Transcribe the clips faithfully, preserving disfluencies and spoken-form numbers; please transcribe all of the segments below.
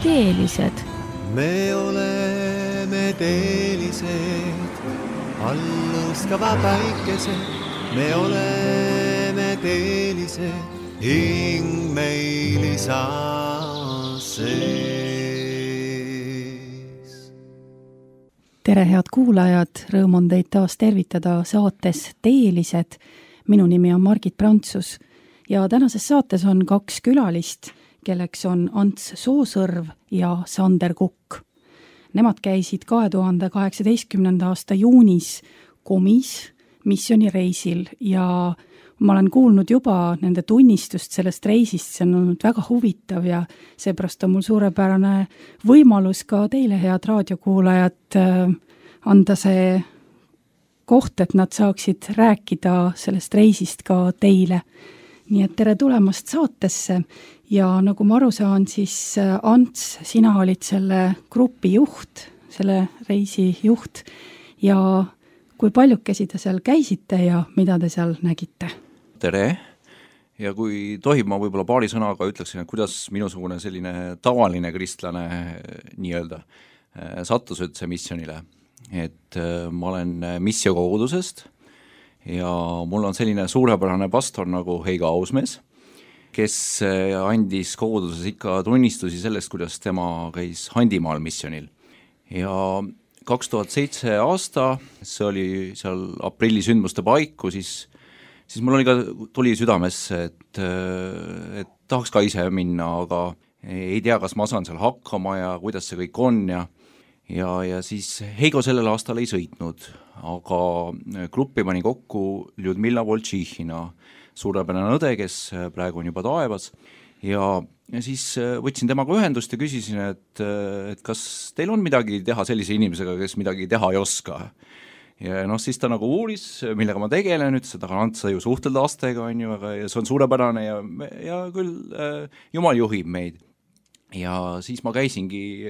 teelised. Me oleme teelised, alluskava päikesed. Me oleme teelised, hing meil isa sees. Tere, head kuulajad, rõõm on teid taas tervitada saates Teelised. Minu nimi on Margit Prantsus ja tänases saates on kaks külalist, kelleks on Ants Soosõrv ja Sander Kukk. Nemad käisid kahe tuhande kaheksateistkümnenda aasta juunis Komis missioonireisil ja ma olen kuulnud juba nende tunnistust sellest reisist, see on olnud väga huvitav ja seepärast on mul suurepärane võimalus ka teile, head raadiokuulajad, anda see koht, et nad saaksid rääkida sellest reisist ka teile. Nii et tere tulemast saatesse ja nagu ma aru saan, siis Ants, sina olid selle grupi juht, selle reisi juht ja kui paljukesi te seal käisite ja mida te seal nägite? Tere! Ja kui tohib, ma võib-olla paari sõnaga ütleksin, et kuidas minusugune selline tavaline kristlane nii-öelda sattus üldse missionile. Et ma olen missiokogudusest ja mul on selline suurepärane pastor nagu Heigo Ausmees, kes andis koguduses ikka tunnistusi sellest, kuidas tema käis Handimaal missionil. Ja kaks tuhat seitse aasta, see oli seal aprilli sündmuste paiku, siis, siis mul oli ka, tuli südamesse, et, et tahaks ka ise minna, aga ei tea, kas ma saan seal hakkama ja kuidas see kõik on ja Ja, ja siis Heigo sellel aastal ei sõitnud, aga gruppi pani kokku Ljudmilla Voltšihhina, suurepärane õde, kes praegu on juba taevas. Ja, ja siis võtsin temaga ühendust ja küsisin, et, et kas teil on midagi teha sellise inimesega, kes midagi teha ei oska. Ja noh, siis ta nagu uuris, millega ma tegelen, ütles, et aga Ants, sa ju suhtled lastega, on ju, aga ja see on suurepärane ja, ja küll äh, Jumal juhib meid. Ja siis ma käisingi,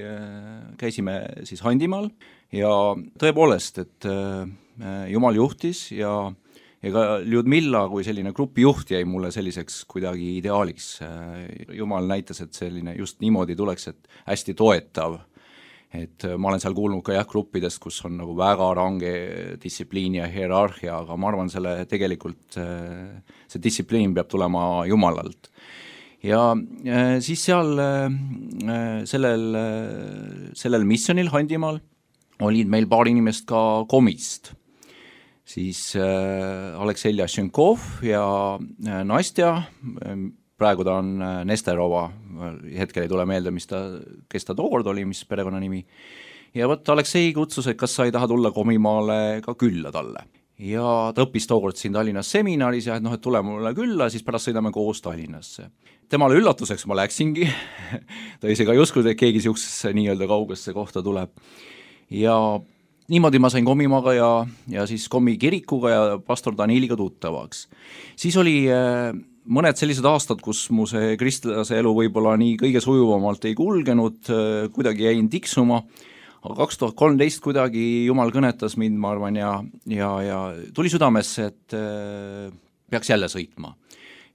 käisime siis Handimaal ja tõepoolest, et Jumal juhtis ja, ja ka Ljudmilla kui selline grupi juht jäi mulle selliseks kuidagi ideaaliks. Jumal näitas, et selline just niimoodi tuleks, et hästi toetav. Et ma olen seal kuulnud ka jah gruppidest, kus on nagu väga range distsipliin ja hierarhia, aga ma arvan, selle tegelikult see distsipliin peab tulema Jumalalt. Ja siis seal sellel, sellel missionil Handimaal olid meil paar inimest ka Komist. Siis Aleksei Ljašenkov ja Nastja, praegu ta on Nesterova, hetkel ei tule meelde, mis ta, kes ta tookord oli, mis perekonna nimi. Ja võt Aleksei kutsus, et kas sa ei taha tulla Komimaale ka külla talle. Ja ta õppis tookord siin Tallinnas seminaris ja et noh, et tule mulle külla, siis pärast sõidame koos Tallinnasse. Temale üllatuseks ma läksingi, ta ise ka ei uskunud, et keegi siuksesse nii-öelda kaugesse kohta tuleb. Ja niimoodi ma sain Komimaaga ja, ja siis Komi kirikuga ja pastor Daniliga tuttavaks. Siis oli mõned sellised aastad, kus mu see kristlase elu võib-olla nii kõige sujuvamalt ei kulgenud, kuidagi jäin tiksuma. Aga kaks tuhat kolmteist kuidagi Jumal kõnetas mind, ma arvan, ja, ja, ja tuli südamesse, et äh, peaks jälle sõitma.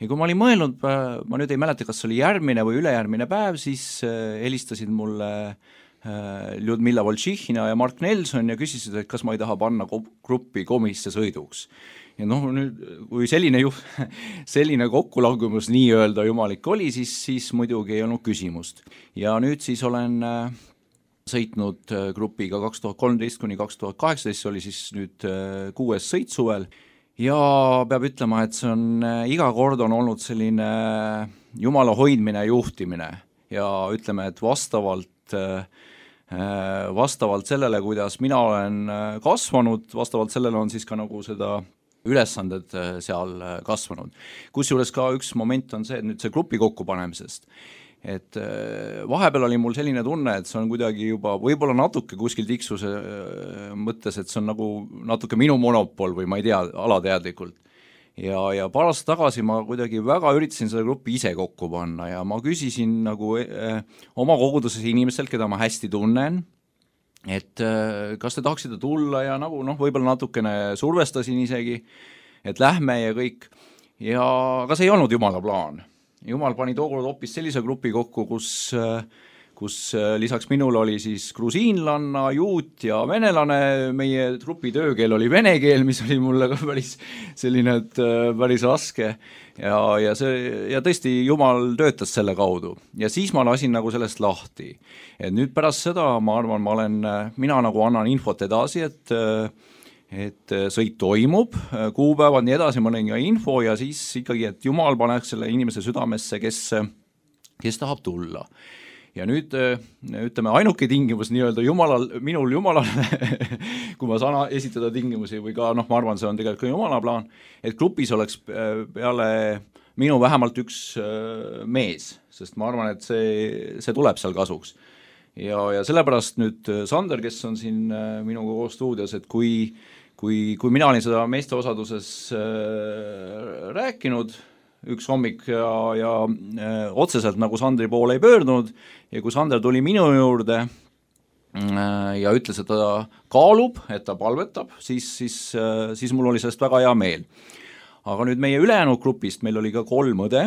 Ja kui ma olin mõelnud, ma nüüd ei mäleta, kas oli järgmine või ülejärgmine päev, siis äh, helistasid mulle äh, Ljudmilla Voltšihhina ja Mark Nelson ja küsisid, et kas ma ei taha panna gruppi Komisse sõiduks. Ja noh, nüüd, kui selline, juh, selline kokkulangumus nii-öelda jumalik oli, siis, siis muidugi ei olnud küsimust. Ja nüüd siis olen Äh, sõitnud grupiga kaks tuhat kolmteist kuni kaks tuhat kaheksateist, oli siis nüüd kuues sõit suvel ja peab ütlema, et see on iga kord on olnud selline Jumala hoidmine ja juhtimine ja ütleme, et vastavalt, vastavalt sellele, kuidas mina olen kasvanud, vastavalt sellele on siis ka nagu seda ülesanded seal kasvanud. Kusjuures ka üks moment on see, et nüüd see grupi kokkupanemisest, et vahepeal oli mul selline tunne, et see on kuidagi juba võib-olla natuke kuskil tiksuse mõttes, et see on nagu natuke minu monopol või ma ei tea, alateadlikult. Ja, ja paar aastat tagasi ma kuidagi väga üritasin seda gruppi ise kokku panna ja ma küsisin nagu eh, oma koguduses inimestelt, keda ma hästi tunnen, et eh, kas te tahaksite tulla ja nagu noh, võib-olla natukene survestasin isegi, et lähme ja kõik. Ja, aga see ei olnud Jumala plaan. Jumal pani tookord hoopis sellise grupi kokku, kus, kus lisaks minul oli siis grusiinlanna, juut ja venelane, meie trupi töökeel oli vene keel, mis oli mulle ka päris selline, et päris raske ja, ja see, ja tõesti Jumal töötas selle kaudu ja siis ma lasin nagu sellest lahti. Et nüüd pärast seda ma arvan, ma olen, mina nagu annan infot edasi, et et sõit toimub, kuupäevad nii edasi, ma olen ka info ja siis ikkagi, et Jumal paneks selle inimese südamesse, kes, kes tahab tulla. Ja nüüd ütleme, ainuke tingimus nii-öelda Jumalal, minul Jumalale, kui ma saan esitada tingimusi või ka, noh, ma arvan, see on tegelikult ka Jumala plaan, et grupis oleks peale minu vähemalt üks mees, sest ma arvan, et see, see tuleb seal kasuks. Ja, ja sellepärast nüüd Sander, kes on siin minuga koos stuudios, et kui, kui, kui mina olin seda meeste osaduses rääkinud, üks hommik ja, ja äh, otseselt nagu Sandri poole ei pöördunud ja kui Sander tuli minu juurde äh, ja ütles, et ta kaalub, et ta palvetab, siis, siis, äh, siis mul oli sellest väga hea meel. Aga nüüd meie ülejäänud grupist, meil oli ka kolm õde,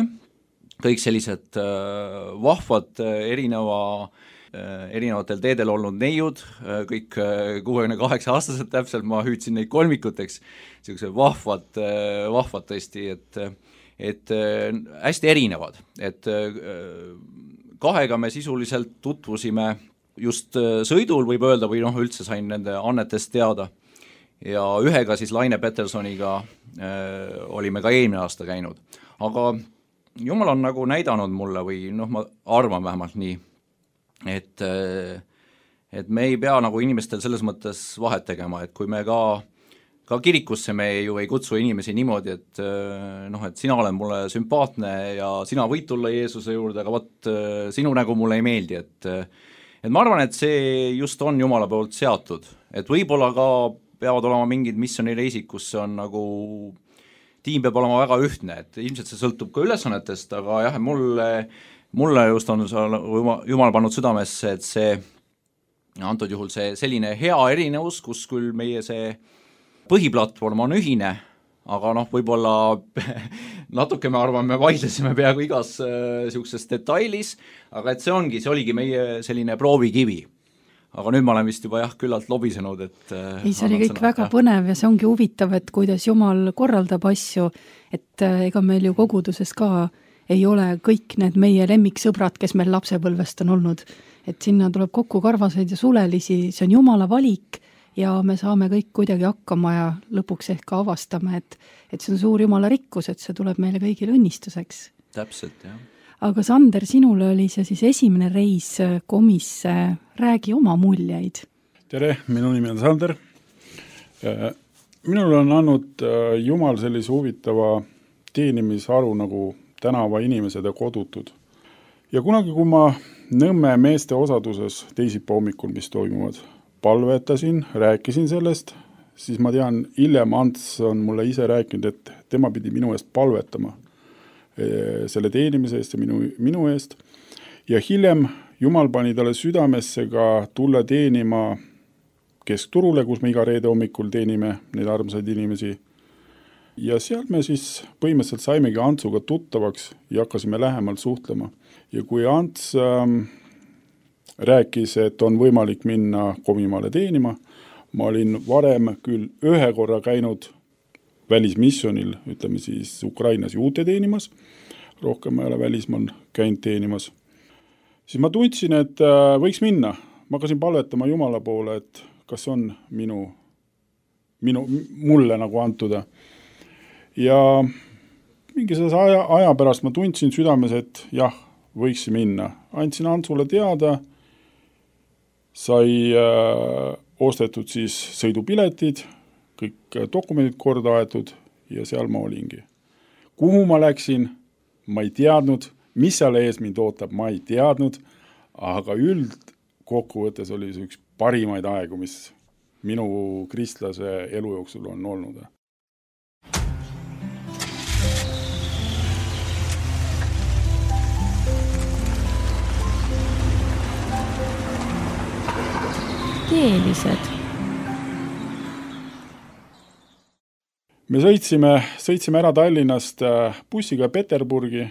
kõik sellised äh, vahvad äh, erineva äh, erinevatel teedel olnud neiud, äh, kõik äh, kuuekümne kaheksa aastased täpselt, ma hüüdsin neid kolmikuteks, sellised vahvad, äh, vahvad tõesti, et äh, et äh, hästi erinevad, et äh, kahega me sisuliselt tutvusime just äh, sõidul, võib öelda, või noh, üldse sain nende annetest teada ja ühega siis Laine Petersoniga äh, olime ka eelmine aasta käinud, aga Jumal on nagu näidanud mulle või noh, ma arvan vähemalt nii, et, äh, et me ei pea nagu inimestel selles mõttes vahet tegema, et kui me ka Ka kirikusse me ju ei kutsu inimesi niimoodi, et, noh, et sina oled mulle sümpaatne ja sina võid tulla Jeesuse juurde, aga võt, sinu nägu mulle ei meeldi. Et, et ma arvan, et see just on Jumala poolt seatud. Et võib-olla ka peavad olema mingid missioonireisid, kus see on nagu, tiim peab olema väga ühtne, et ilmselt see sõltub ka ülesannetest, aga jah, mulle, mulle just on Jumal pannud südamesse, et see, antud juhul see selline hea erinevus, kus küll meie see põhiplatvorm on ühine, aga noh, võib-olla natuke me arvame, me vaidlesime peaaegu igas äh, siukses detailis, aga et see ongi, see oligi meie selline proovikivi. Aga nüüd ma olen vist juba jah, küllalt lobisenud, et äh, ei, see oli kõik sõna, väga jah. Põnev ja see ongi huvitav, et kuidas Jumal korraldab asju, et äh, ega meil ju koguduses ka ei ole kõik need meie lemmiksõbrad, kes meil lapsepõlvest on olnud, et sinna tuleb kokku karvaseid ja sulelisi, see on Jumala valik, ja me saame kõik kuidagi hakkama ja lõpuks ehk ka avastame, et, et see on suur Jumala rikkus, et see tuleb meile kõigile õnnistuseks. Täpselt, jah. Aga Sander, sinule oli see siis esimene reis komisse, räägi oma muljeid. Tere, minu nimi on Sander. Minul on andnud Jumal sellise huvitava teenimisharu nagu tänava inimesed ja kodutud. Ja kunagi, kui ma Nõmme meeste osaduses teisipäeva hommikul, mis toimuvad, palvetasin, rääkisin sellest, siis ma tean, hiljem Ants on mulle ise rääkinud, et tema pidi minu eest palvetama selle teenimise eest ja minu, minu eest. Ja hiljem Jumal pani talle südamesse ka tulla teenima keskturule, kus me iga reede hommikul teenime neid armsaid inimesi. Ja seal me siis põhimõtteliselt saimegi Antsuga tuttavaks ja hakkasime lähemalt suhtlema. Ja kui Ants ähm, rääkis, et on võimalik minna Komimaale teenima. Ma olin varem küll ühe korra käinud välismissionil, ütleme siis Ukrainas juute teenimas, rohkem ma ei ole välismaal käinud teenimas. Siis ma tundsin, et võiks minna. Ma hakkasin palvetama Jumala poole, et kas on minu, minu, mulle nagu antuda. Ja mingi selles aja, aja pärast ma tundsin südames, et jah, võiks minna. Andsin Antsule teada, sai äh, ostetud siis sõidupiletid, kõik dokumendid korda aetud ja seal ma olingi. Kuhu ma läksin, ma ei teadnud, mis seal ees mind ootab, ma ei teadnud, aga üld kokkuvõttes oli see üks parimaid aegu, mis minu kristlase elu jooksul on olnud. Teelised. Me sõitsime, sõitsime ära Tallinnast bussiga Peterburgi.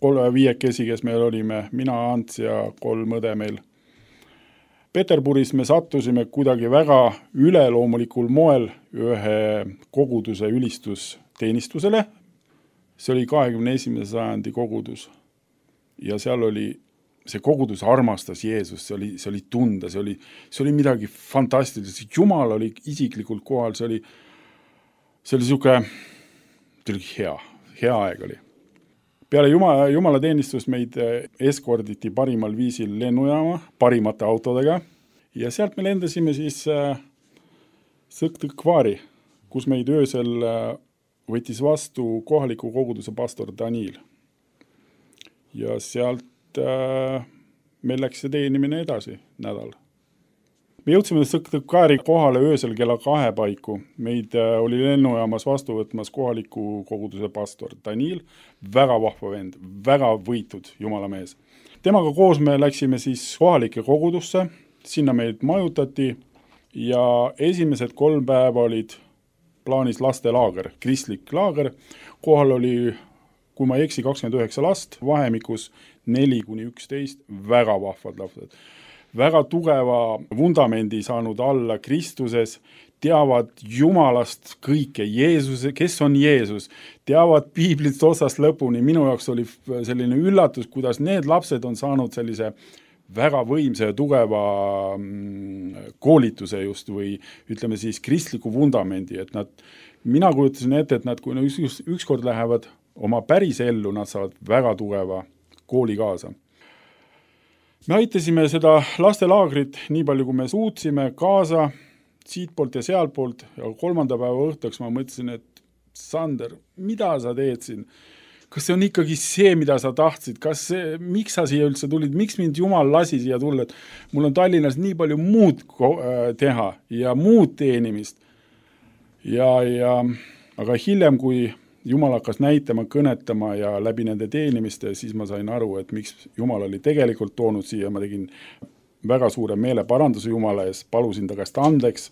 kolme viiekesi, kes meil olime, mina, Ants ja kolm õde meil. Peterburis me sattusime kuidagi väga üleloomulikul moel ühe koguduse ülistusteenistusele. See oli kahekümne esimese sajandi kogudus. Ja seal oli, see kogudus armastas Jeesus, see oli, see oli tunda, see oli, see oli midagi fantastilist. Jumal oli isiklikult kohal, see oli, see oli siuke, see oli hea, hea aeg oli. Peale Jumala, Jumala teenistust meid eskorditi parimal viisil lennujaama, parimate autodega ja sealt me lendasime siis äh, Sõktõkvaari, kus meid öösel äh, võttis vastu kohaliku koguduse pastor Daniil. Ja sealt äh, meil läks see teenimine edasi nädal. Me jõudsime Sõktõkvaari kohale öösel kella kahe paiku. Meid äh, oli lennujaamas vastu võtmas kohaliku koguduse pastor Daniil, väga vahva vend, väga võitud jumalamees. Temaga koos me läksime siis kohalike kogudusse, sinna meid majutati ja esimesed kolm päeva olid plaanis lastelaager, kristlik laager. Kohal oli, kui ma ei eksi, kakskümmend üheksa last, vahemikus neli kuni üksteist, väga vahvad lapsed. Väga tugeva vundamendi saanud alla Kristuses, teavad Jumalast kõike, Jeesuse, kes on Jeesus, teavad piiblist osast lõpuni. Minu jaoks oli selline üllatus, kuidas need lapsed on saanud sellise väga võimsa ja tugeva koolituse just või ütleme siis kristliku vundamendi, et nad, mina kujutasin ette, et nad, kui nad üks, ükskord lähevad oma päris ellu, nad saavad väga tugeva kooli kaasa. Me aitasime seda lastelaagrit nii palju, kui me suutsime kaasa siitpoolt ja sealtpoolt ja kolmanda päeva õhtuks ma mõtlesin, et Sander, mida sa teed siin? Kas see on ikkagi see, mida sa tahtsid? Kas see, miks sa siia üldse tulid? Miks mind Jumal lasi siia tulla? Et mul on Tallinnas nii palju muud teha ja muud teenimist. Ja, ja, aga hiljem, kui Jumal hakkas näitama, kõnetama ja läbi nende teenimiste, siis ma sain aru, et miks Jumal oli tegelikult toonud siia. Ma tegin väga suure meele paranduse Jumala ees, palusin ta käest andeks.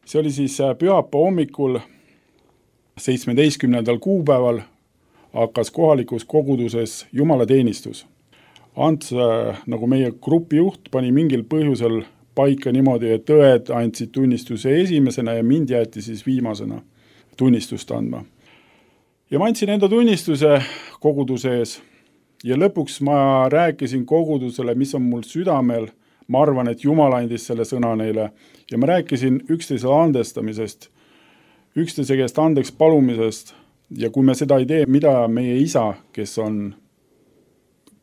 See oli siis pühapa hommikul seitsmeteistkümnendal kuupäeval hakkas kohalikus koguduses Jumala teenistus. Ants, nagu meie grupijuht, pani mingil põhjusel paika niimoodi, et õed andsid tunnistuse esimesena ja mind jäeti siis viimasena tunnistust andma. Ja ma andsin enda tunnistuse koguduse ees ja lõpuks ma rääkisin kogudusele, mis on mul südamel. Ma arvan, et Jumal andis selle sõna neile ja ma rääkisin üksteise andestamisest, üksteise käest andeks palumisest ja kui me seda ei tee, mida meie isa, kes on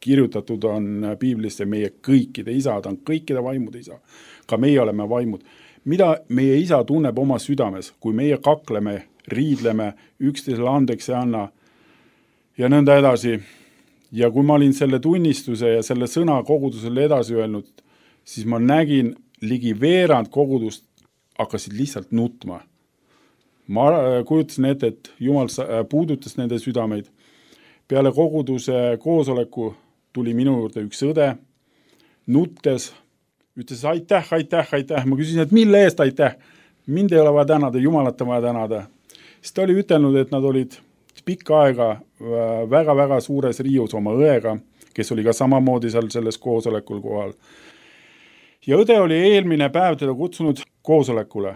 kirjutatud on piiblisse, meie kõikide isad on kõikide vaimude isa, ka meie oleme vaimud, mida meie isa tunneb oma südames, kui meie kakleme, riidleme, üksteisele andeks ei anna ja nõnda edasi. Ja kui ma olin selle tunnistuse ja selle sõna kogudusele edasi öelnud, siis ma nägin ligi veerand kogudust hakkasid lihtsalt nutma. Ma kujutasin ette, et Jumal puudutas nende südameid. Peale koguduse koosoleku tuli minu juurde üks õde, nuttes, ütles aitäh, aitäh, aitäh. Ma küsisin, et mille eest aitäh? Mind ei ole vaja tänada, Jumalat on vaja tänada. Siis ta oli ütelnud, et nad olid pikka aega väga-väga suures riius oma õega, kes oli ka samamoodi seal selles koosolekul kohal. Ja õde oli eelmine päev teda kutsunud koosolekule.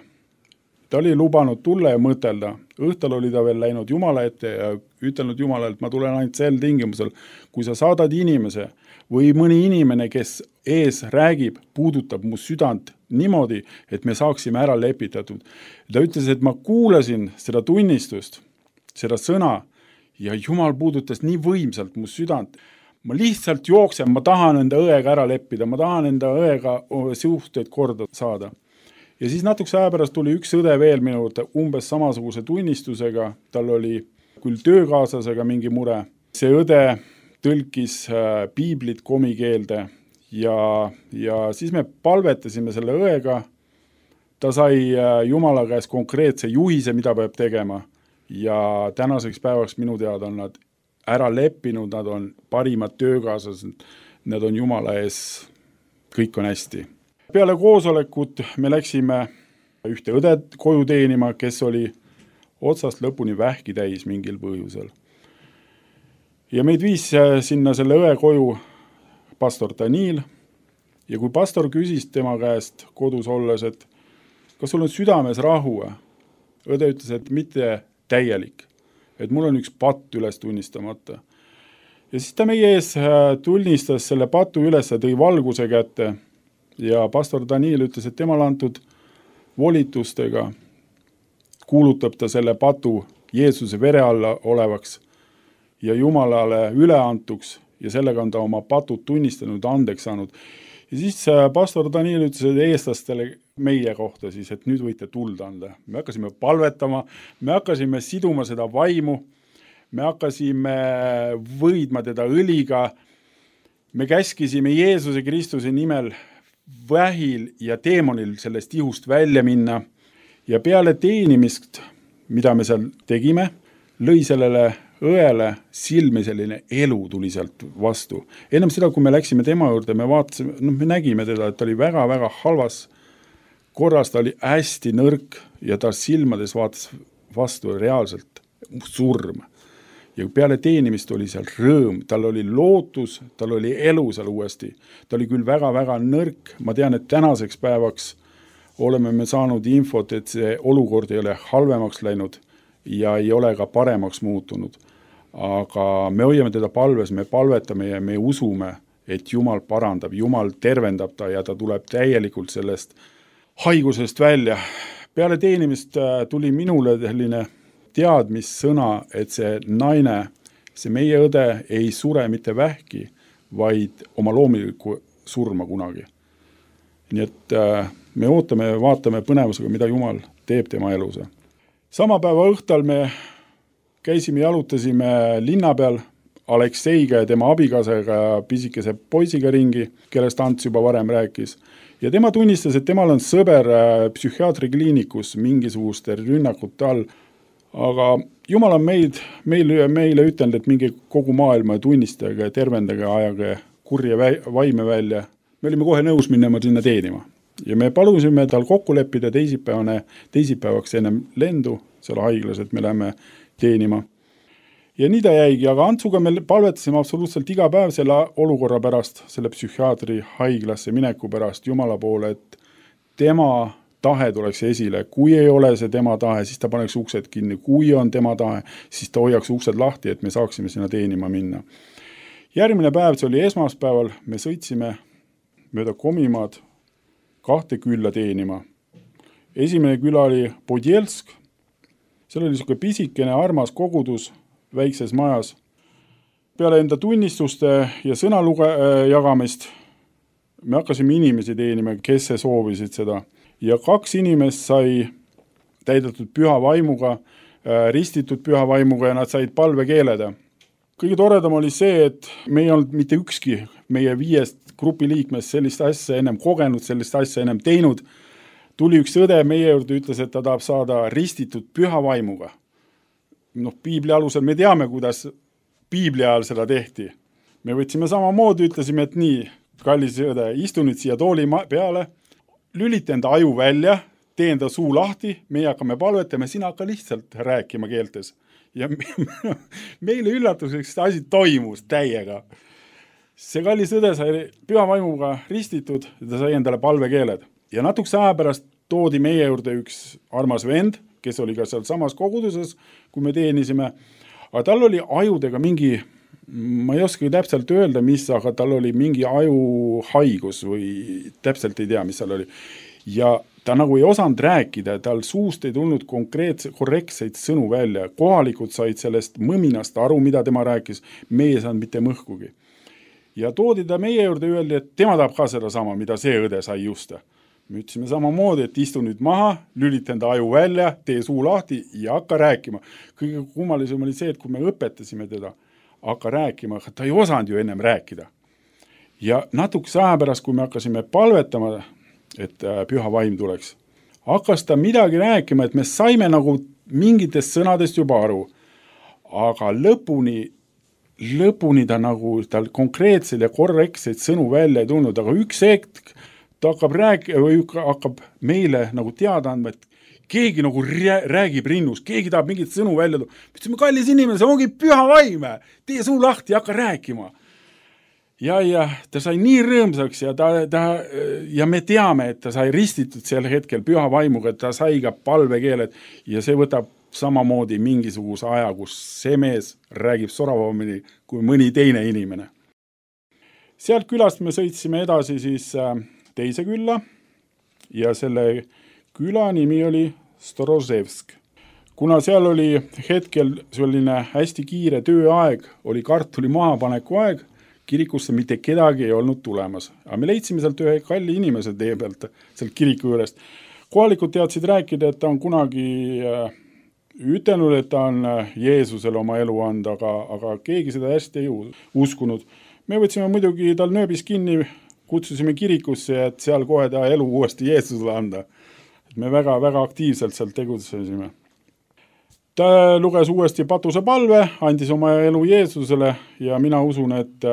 Ta oli lubanud tulla ja mõtelda. Õhtal oli ta veel läinud Jumala ette ja ütelnud Jumalale, et ma tulen ainult sel tingimusel, kui sa saadad inimese või mõni inimene, kes ees räägib, puudutab mu südant niimoodi, et me saaksime ära lepitatud. Ta ütles, et ma kuulasin seda tunnistust, seda sõna ja Jumal puudutas nii võimsalt mu südant. Ma lihtsalt jooksen, ma tahan enda õega ära leppida, ma tahan enda õega suhteid korda saada. Ja siis natukese aja pärast tuli üks õde veel minu juurde umbes samasuguse tunnistusega, tal oli küll töökaaslasega mingi mure. See õde tõlkis piiblit komikeelde ja, ja siis me palvetasime selle õega. Ta sai Jumala käest konkreetse juhise, mida peab tegema ja tänaseks päevaks minu teada on nad ära leppinud, nad on parimad töökaaslased, nad on Jumala ees, kõik on hästi. Peale koosolekut me läksime ühte õde koju teenima, kes oli otsast lõpuni vähki täis mingil põhjusel. ja meid viis sinna selle õe koju pastor Daniil ja kui pastor küsis tema käest kodus olles, et kas sul on südames rahu? Õde ütles, et mitte täielik, et mul on üks patt üles tunnistamata. Ja siis ta meie ees tunnistas selle patu üles, tõi valguse kätte ja pastor Daniil ütles, et temal antud volitustega kuulutab ta selle patu Jeesuse vere alla olevaks ja Jumalale üleantuks ja sellega on ta oma patud tunnistanud, andeks saanud. Ja siis pastor Daniil ütles, et eestlastele meie kohta siis, et nüüd võite tuld anda. Me hakkasime palvetama, me hakkasime siduma seda vaimu, me hakkasime võidma teda õliga, me käskisime Jeesuse Kristuse nimel vähil ja teemonil sellest ihust välja minna ja peale teenimist, mida me seal tegime, lõi sellele õele silmi selline elu tuli sealt vastu. Ennem seda, kui me läksime tema juurde, me vaatasime, no me nägime teda, et ta oli väga-väga halvas korras, ta oli hästi nõrk ja ta silmades vaatas vastu reaalselt surm. Ja peale teenimist oli seal rõõm, tal oli lootus, tal oli elu seal uuesti. Ta oli küll väga-väga nõrk, ma tean, et tänaseks päevaks oleme me saanud infot, et see olukord ei ole halvemaks läinud ja ei ole ka paremaks muutunud. Aga me hoiame teda palves, me palvetame ja me usume, et Jumal parandab, Jumal tervendab ta ja ta tuleb täielikult sellest haigusest välja. Peale teenimist tuli minule selline teadmissõna, et see naine, see meie õde ei sure mitte vähki, vaid oma loomulikku surma kunagi. Nii et me ootame ja vaatame põnevusega, mida Jumal teeb tema elus. Sama päeva õhtal me käisime, jalutasime linna peal Alekseiga ja tema abikaasaga ja pisikese poisiga ringi, kellest Ants juba varem rääkis. Ja tema tunnistas, et temal on sõber psühhiaatrikliinikus mingisuguste rünnakute all, aga Jumal on meid, meile, meile ütelnud, et mingi kogu maailma tunnistage, tervendage, ajage kurja vaime välja. Me olime kohe nõus minema sinna teenima. Ja me palusime tal kokku leppida teisipäevane, teisipäevaks ennem lendu seal haiglas, et me läheme teenima. Ja nii ta jäigi, aga Antsuga me palvetasime absoluutselt iga päev selle olukorra pärast, selle psühhiaatri haiglasse mineku pärast Jumala poole, et tema tahe tuleks esile. Kui ei ole see tema tahe, siis ta paneks uksed kinni. Kui on tema tahe, siis ta hoiaks uksed lahti, et me saaksime sinna teenima minna. Järgmine päev, see oli esmaspäeval, me sõitsime mööda Komimaad kahte külla teenima. Esimene küla oli Podjelsk. Seal oli niisugune pisikene armas kogudus väikses majas. Peale enda tunnistuste ja sõnaluge jagamist me hakkasime inimesi teenima, kes soovisid seda. Ja kaks inimest sai täidetud püha vaimuga, ristitud püha vaimuga ja nad said palvekeeleda. Kõige toredam oli see, et me ei olnud mitte ükski meie viiest grupi liikmest sellist asja ennem kogenud, sellist asja ennem teinud. Tuli üks õde meie juurde, ütles, et ta tahab saada ristitud püha vaimuga. Noh, piibli alusel me teame, kuidas piibli ajal seda tehti. Me võtsime samamoodi, ütlesime, et nii, kallis õde, istu nüüd siia tooli peale, lülita enda aju välja, tee enda suu lahti, meie hakkame palvetama, sina hakka lihtsalt rääkima keeltes. Ja meile üllatuseks see asi toimus täiega. See kallis õde sai püha vaimuga ristitud ja ta sai endale palvekeeled. Ja natukese aja pärast toodi meie juurde üks armas vend, kes oli ka seal samas koguduses, kui me teenisime. Aga tal oli ajudega mingi, ma ei oska täpselt öelda, mis, aga tal oli mingi ajuhaigus või täpselt ei tea, mis seal oli. Ja ta nagu ei osanud rääkida, tal suust ei tulnud konkreetse, korrektseid sõnu välja. Kohalikud said sellest mõminast aru, mida tema rääkis, meie ei saanud mitte mõhkugi. Ja toodi ta meie juurde öeldi, et tema tahab ka seda sama, mida see õde sai just. Me ütlesime samamoodi, et istu nüüd maha, lülita enda aju välja, tee suu lahti ja hakka rääkima. Kõige kummalisem oli see, et kui me õpetasime teda, hakka rääkima, ta ei osanud ju ennem rääkida. Ja natukese aja pärast, kui me hakkasime palvetama, et püha vaim tuleks, hakkas ta midagi rääkima, et me saime nagu mingitest sõnadest juba aru, aga lõpuni, lõpuni ta nagu tal konkreetseid ja korrektseid sõnu välja ei tulnud, aga üks hetk ta hakkab rääkima või hakkab meile nagu teada andma, et keegi nagu räägib rinnus, keegi tahab mingit sõnu välja tuua. Ütlesime, kallis inimene, see ongi püha vaime, tee suu lahti ja hakka rääkima. Ja, ja ta sai nii rõõmsaks ja, ta, ta, ja me teame, et ta sai ristitud sel hetkel püha vaimuga, et ta sai ka palvekeeled ja see võtab samamoodi mingisuguse aja, kus see mees räägib soravamini kui mõni teine inimene. Sealt külast me sõitsime edasi siis teise külla ja selle küla nimi oli Storozevsk. Kuna seal oli hetkel selline hästi kiire tööaeg, oli kartuli mahapaneku aeg, kirikusse mitte kedagi ei olnud tulemas. Aga me leidsime sealt ühe kalli inimese tee pealt, sealt kiriku juurest. Kohalikud teadsid rääkida, et ta on kunagi ütelnud, et ta on Jeesusele oma elu anda, aga, aga keegi seda hästi ei uskunud. Me võtsime muidugi tal nööbis kinni, kutsusime kirikusse, et seal kohe ta elu uuesti Jeesusele anda. Me väga, väga aktiivselt seal tegutsesime. Ta luges uuesti patuse palve, andis oma elu Jeesusele ja mina usun, et,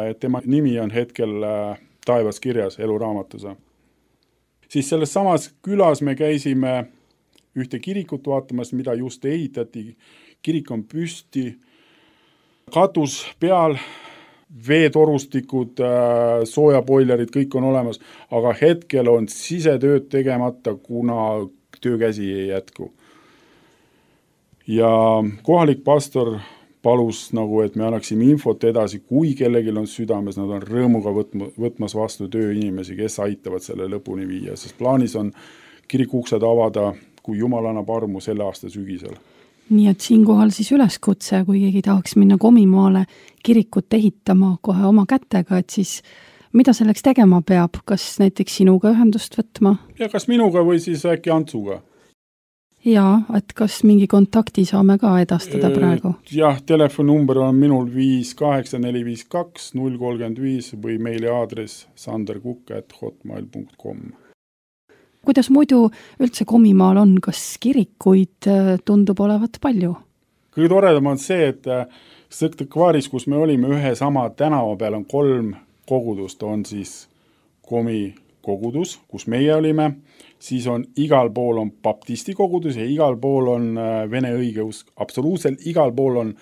et tema nimi on hetkel taevas kirjas eluraamatus. Siis selles samas külas me käisime ühte kirikut vaatamas, mida just ehitati. Kirik on püsti, katus peal, veetorustikud, soojaboilerid, kõik on olemas, aga hetkel on sisetööd tegemata, kuna töökäsi ei jätku. Ja kohalik pastor palus, nagu, et me annaksime infot edasi, kui kellelgi on südames, nad on rõõmuga võtmas vastu tööinimesi, kes aitavad selle lõpuni viia, sest plaanis on kirikuksed avada, kui Jumal annab armu selle aasta sügisel. Nii et siinkohal siis üleskutse, kui keegi tahaks minna Komimaale kirikut ehitama kohe oma kätega, et siis mida selleks tegema peab? Kas näiteks sinuga ühendust võtma? Ja kas minuga või siis äkki Antsuga? Jaa, et kas mingi kontakti saame ka edastada praegu? Jah, telefonumber on minul viis kaheksa neli viis kaks null kolmkümmend viis või meili aadress sanderkukk at hotmail punkt com. Kuidas muidu üldse Komimaal on? Kas kirikuid tundub olevat palju? Kõige toredam on see, et Sõktakvaaris, kus me olime ühe sama tänava peal, on kolm kogudust. On siis Komi kogudus, kus meie olime, siis on igal pool on baptisti kogudus ja igal pool on vene õigeusk. Absoluutselt igal pool on,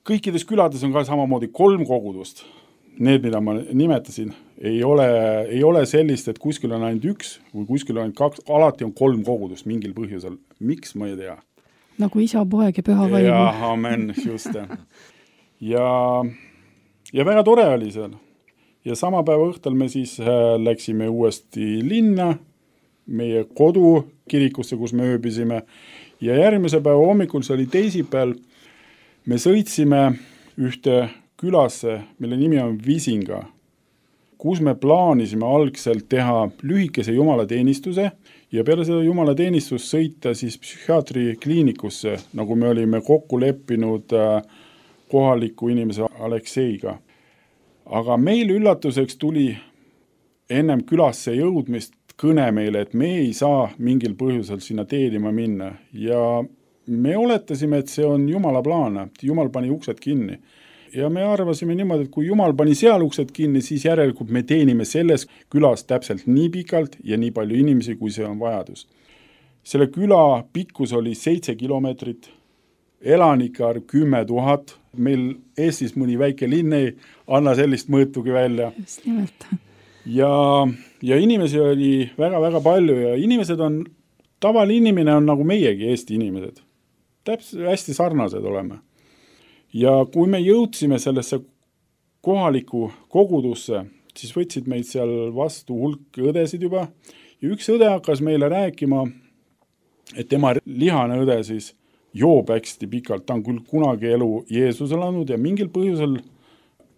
kõikides külades on ka samamoodi kolm kogudust. Need, mida ma nimetasin, ei ole, ei ole sellist, et kuskil on ainult üks või kuskil on ainult kaks, alati on kolm kogudust mingil põhjusel. Miks, ma ei tea. Nagu isa, poeg ja püha vaimu. Ja, amen, just. Ja, ja väga tore oli seal. Ja sama päeva õhtul me siis läksime uuesti linna, meie kodu kirikusse, kus me ööbisime. Ja järgmise päeva hommikul, see oli teisipäeval, me sõitsime ühte külasse, mille nimi on Visinga, kus me plaanisime algselt teha lühikese jumalateenistuse ja peale seda jumalateenistust sõita siis psühhiaatri kliinikusse, nagu me olime kokku leppinud kohaliku inimese Alekseiga. Aga meil üllatuseks tuli ennem külasse jõudmist kõne meile, et me ei saa mingil põhjusel sinna teenima minna. Ja me oletasime, et see on Jumala plaan, Jumal pani uksed kinni. Ja me arvasime niimoodi, et kui Jumal pani seal uksed kinni, siis järelikult me teenime selles külas täpselt nii pikalt ja nii palju inimesi, kui see on vajadus. Selle küla pikkus oli seitse kilomeetrit, elanikar kümme tuhat, meil Eestis mõni väike linn ei anna sellist mõõtugi välja. Just nimelt. Ja, ja inimesi oli väga-väga palju ja inimesed on, tavaline inimene on nagu meiegi Eesti inimesed. Täpselt hästi sarnased oleme. Ja kui me jõudsime sellesse kohaliku kogudusse, siis võtsid meid seal vastu hulk õdesid juba ja üks õde hakkas meile rääkima, et tema lihane õde siis joob hästi pikalt, ta on küll kunagi elu Jeesusele andnud ja mingil põhjusel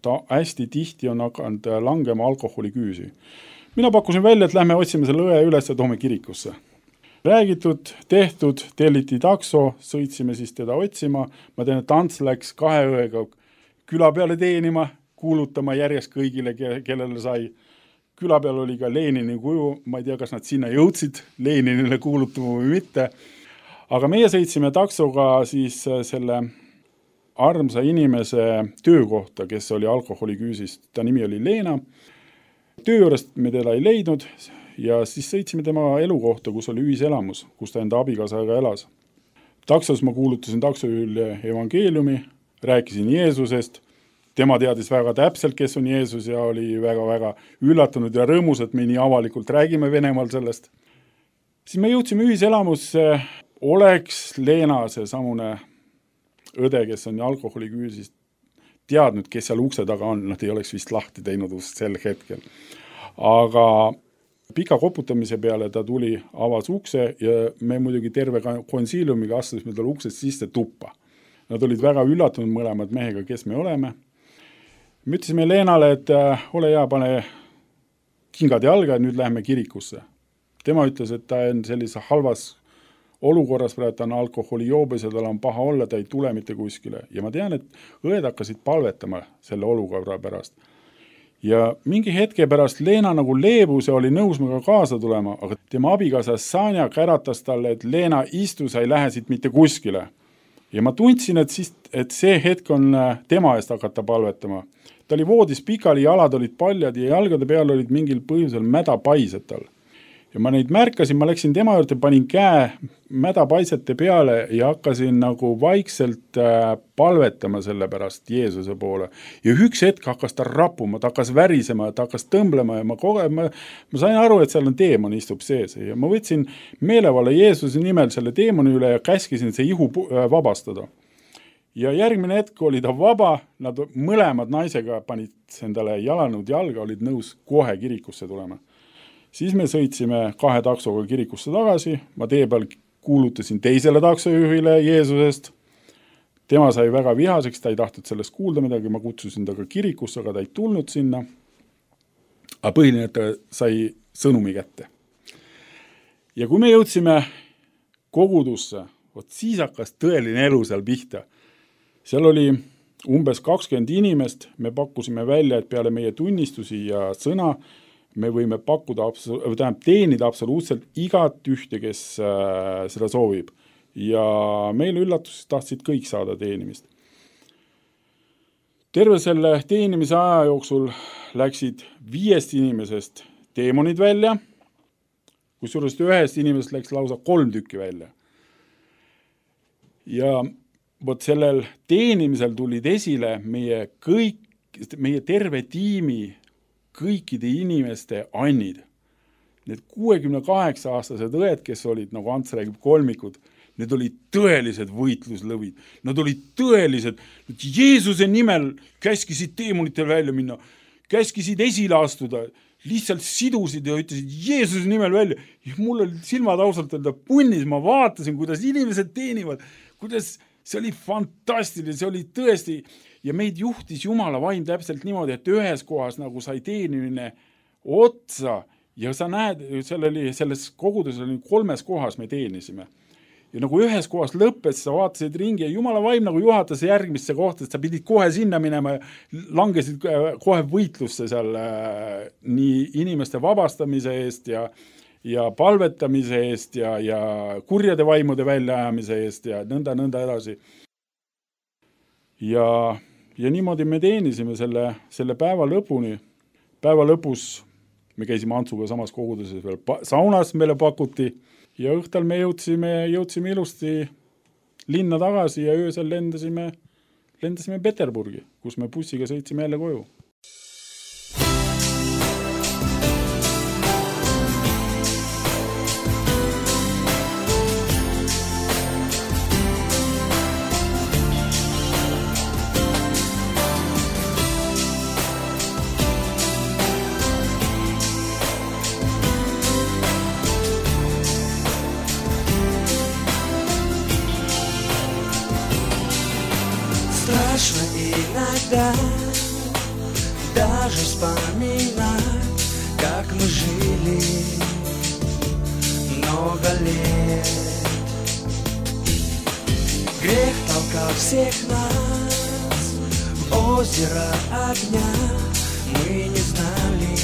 ta hästi tihti on hakanud langema alkoholiküüsi. Mina pakkusin välja, et lähme otsime selle õe üles ja toome kirikusse. Räägitud, tehtud, telliti takso, sõitsime siis teda otsima. Ma tean, et Ants läks kahe õega küla peale teenima, kuulutama järjest kõigile, kellele sai. Küla peal oli ka Lenini kuju, ma ei tea, kas nad sinna jõudsid Leninile kuulutama või mitte. Aga meie sõitsime taksoga siis selle armsa inimese töökohta, kes oli alkoholiküüsist. Ta nimi oli Leena. Töö juurest me teda ei leidnud ja siis sõitsime tema elukohta, kus oli ühiselamus, kus ta enda abikaasaga elas. Taksos ma kuulutasin taksojuhile evangeeliumi, rääkisin Jeesusest, tema teadis väga täpselt, kes on Jeesus ja oli väga-väga üllatunud ja rõõmus, et me nii avalikult räägime Venemaal sellest. Siis me jõudsime ühiselamusse, oleks Leena see samune õde, kes on alkoholi küüsis, teadnud, kes seal ukse taga on, nad ei oleks vist lahti teinud ust sel hetkel. Aga pika koputamise peale ta tuli, avas ukse ja me muidugi terve konsiiliumiga astusime tal uksest sisse tuppa. Nad olid väga üllatunud mõlemad mehega, kes me oleme. Me ütlesime Leenale, et äh, ole hea, pane kingad jalga ja nüüd läheme kirikusse. Tema ütles, et ta on sellise halvas olukorras, praegu ta on alkoholi joobes ja tal on paha olla, ta ei tule mitte kuskile. Ja ma tean, et õed hakkasid palvetama selle olukorra pärast. Ja mingi hetke pärast Leena nagu leebus ja oli nõus mega kaasa tulema, aga tema abikaasa Sanja käratas talle, et Leena istu, sa ei lähe siit mitte kuskile. Ja ma tundsin, et, siis, et see hetk on tema eest hakata palvetama. Ta oli voodis pikali, jalad olid paljad ja jalgade peal olid mingil põhjusel mädapaised tal. Ja ma neid märkasin, ma läksin tema juurde, panin käe mädapaisete peale ja hakkasin nagu vaikselt palvetama selle pärast Jeesuse poole. Ja üks hetk hakkas ta rappuma, ta hakkas värisema, ta hakkas tõmblema ja ma, koge, ma, ma sain aru, et seal on teemon istub sees. Ja ma võtsin meelevalla Jeesuse nimel selle teemoni üle ja käskisin see ihu vabastada. Ja järgmine hetk oli ta vaba, nad mõlemad naisega panid endale jalanõud jalga, olid nõus kohe kirikusse tulema. Siis me sõitsime kahe taksoga kirikusse tagasi, ma tee peal kuulutasin teisele taksojuhile Jeesusest. Tema sai väga vihaseks, ta ei tahtnud sellest kuulda midagi, ma kutsusin ta ka kirikusse, aga ta ei tulnud sinna. Aga põhiline, et ta sai sõnumi kätte. Ja kui me jõudsime kogudusse, vot siis hakkas tõeline elu seal pihta. Seal oli umbes kakskümmend inimest, me pakkusime välja, et peale meie tunnistusi ja sõna me võime pakkuda, tähendab, teenida absoluutselt igat ühte, kes äh, seda soovib. Ja meil üllatus tahtsid kõik saada teenimist. Terve selle teenimise aja jooksul läksid viiest inimesest teemonid välja, kusjuures ühest inimesest läks lausa kolm tükki välja. Ja vot sellel teenimisel tulid esile meie kõik, meie terve tiimi kõikide inimeste annid. Need kuuekümne kaheksa aastased õed, kes olid, nagu Ants räägib, kolmikud, need olid tõelised võitluslõvid. Nad olid tõelised, nad Jeesuse nimel käskisid teemonitel välja minna, käskisid esile astuda, lihtsalt sidusid ja ütlesid Jeesuse nimel välja. Ja mul oli silmad ausalt öelda punnis, ma vaatasin, kuidas inimesed teenivad, kuidas see oli fantastiline, see oli tõesti, ja meid juhtis Jumala vaim täpselt niimoodi, et ühes kohas nagu sai teenimine otsa ja sa näed, selleli, selles koguduses oli kolmes kohas me teenisime. Ja nagu ühes kohas lõppes, sa vaatasid ringi ja Jumala vaim nagu juhatas järgmisse kohta, et sa pidid kohe sinna minema ja langesid kohe võitlusse seal nii inimeste vabastamise eest ja ja palvetamise eest ja, ja kurjade vaimude väljaajamise eest ja nõnda, nõnda edasi. Ja, ja niimoodi me teenisime selle, selle päeva lõpuni. Päeva lõpus me käisime Antsuga samas koguduses veel saunas meile pakuti ja õhtal me jõudsime, jõudsime ilusti linna tagasi ja öösel lendasime, lendasime Peterburgi, kus me bussiga sõitsime jälle koju. Иногда даже вспоминать, как мы жили много лет. Грех толкал всех нас в озеро огня. Мы не знали,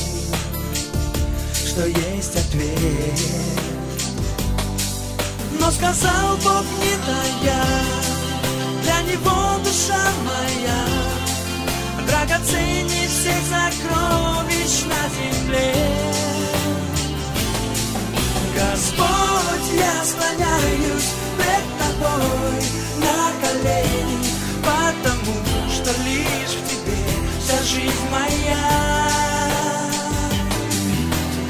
что есть ответ. Но сказал Бог не тая, для него душа моя драгоценней всех сокровищ на земле. лишь в тебе вся жизнь моя.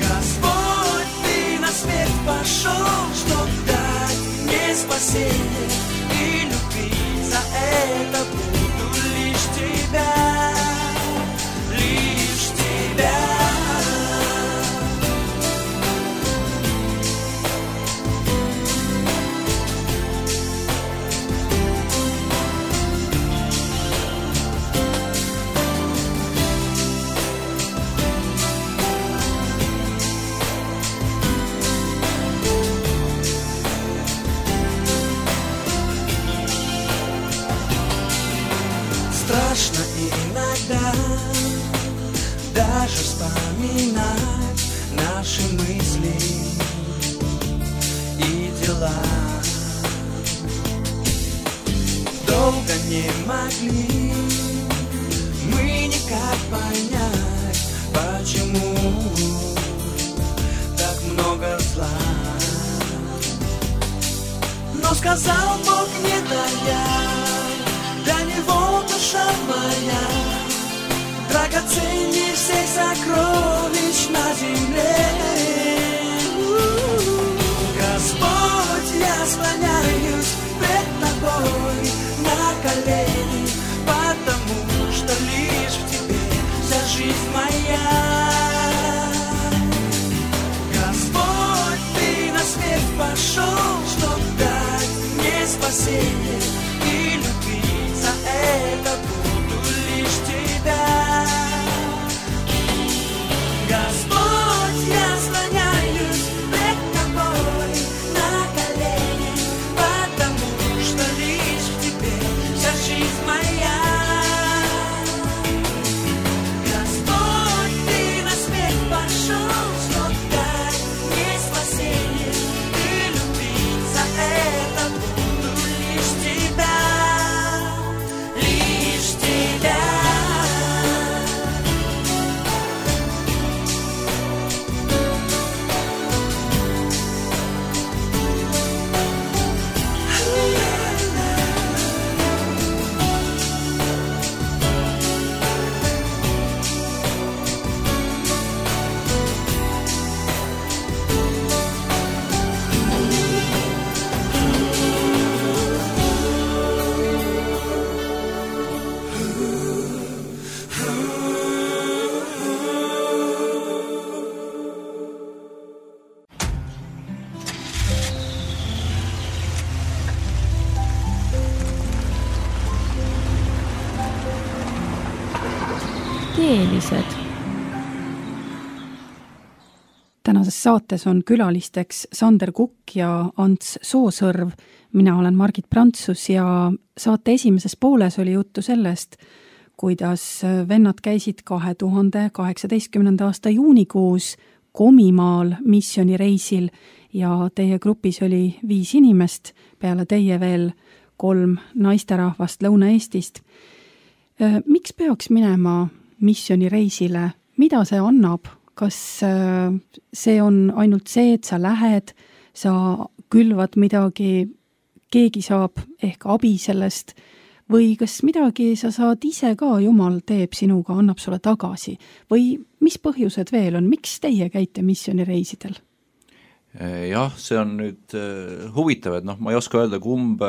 Господь, ты на смерть пошел, чтоб дать мне спасение и любить. За это буду лишь тебя, лишь тебя. Страшно иногда даже вспоминать наши мысли и дела. Долго не могли мы никак понять, почему так много зла. Но сказал Бог, не даяй, для него душа моя драгоценней всех сокровищ на земле. Господь, я склоняюсь пред тобой на колени, потому что лишь в тебе вся жизнь моя. Господь, ты на смерть пошел, чтоб дать мне спасение и любить. За это буду лишь тебя. Господь, я склоняюсь пред тобой на колени, потому что лишь в тебе вся жизнь моя. Господь, ты на смерть пошел, чтоб дать мне спасение и любить. За это буду лишь тебя, лишь тебя. Teelised. Tänases saates on külalisteks Sander Kukk ja Ants Soosõrv. Mina olen Margit Prantsus ja saate esimeses pooles oli juttu sellest, kuidas vennad käisid kahe tuhande kaheksateistkümnenda aasta juunikuus Komimaal missioonireisil ja teie grupis oli viis inimest, peale teie veel kolm naisterahvast Lõuna-Eestist. Miks peaks minema missioonireisile? Mida see annab? Kas see on ainult see, et sa lähed, sa külvad midagi, keegi saab ehk abi sellest, või kas midagi sa saad ise ka, Jumal teeb sinuga, annab sulle tagasi? Või mis põhjused veel on? Miks teie käite missioonireisidel? Jah, see on nüüd huvitav, et noh, ma ei oska öelda, kumb,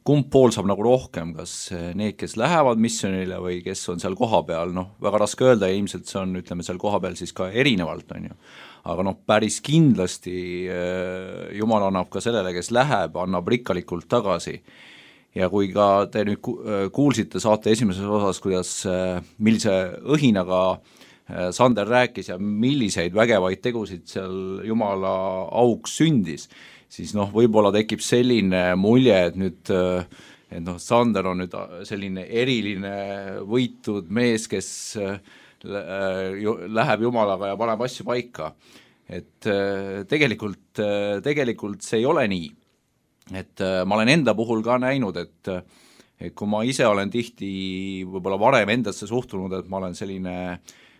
kumb pool saab nagu rohkem, kas need, kes lähevad missionile või kes on seal koha peal, noh, väga raske öelda ja ilmselt see on, ütleme, seal koha peal siis ka erinevalt, on ju. Aga noh, päris kindlasti Jumal annab ka sellele, kes läheb, annab rikkalikult tagasi. Ja kui ka te nüüd kuulsite saate esimeses osas, kuidas, millise õhinaga Sander rääkis ja milliseid vägevaid tegusid seal Jumala auks sündis, siis noh, võib-olla tekib selline mulje, et nüüd et noh, Sander on nüüd selline eriline võitud mees, kes läheb Jumalaga ja paneb asju paika. Et tegelikult, tegelikult see ei ole nii. Et ma olen enda puhul ka näinud, et, et kui ma ise olen tihti võib-olla varem endasse suhtunud, et ma olen selline,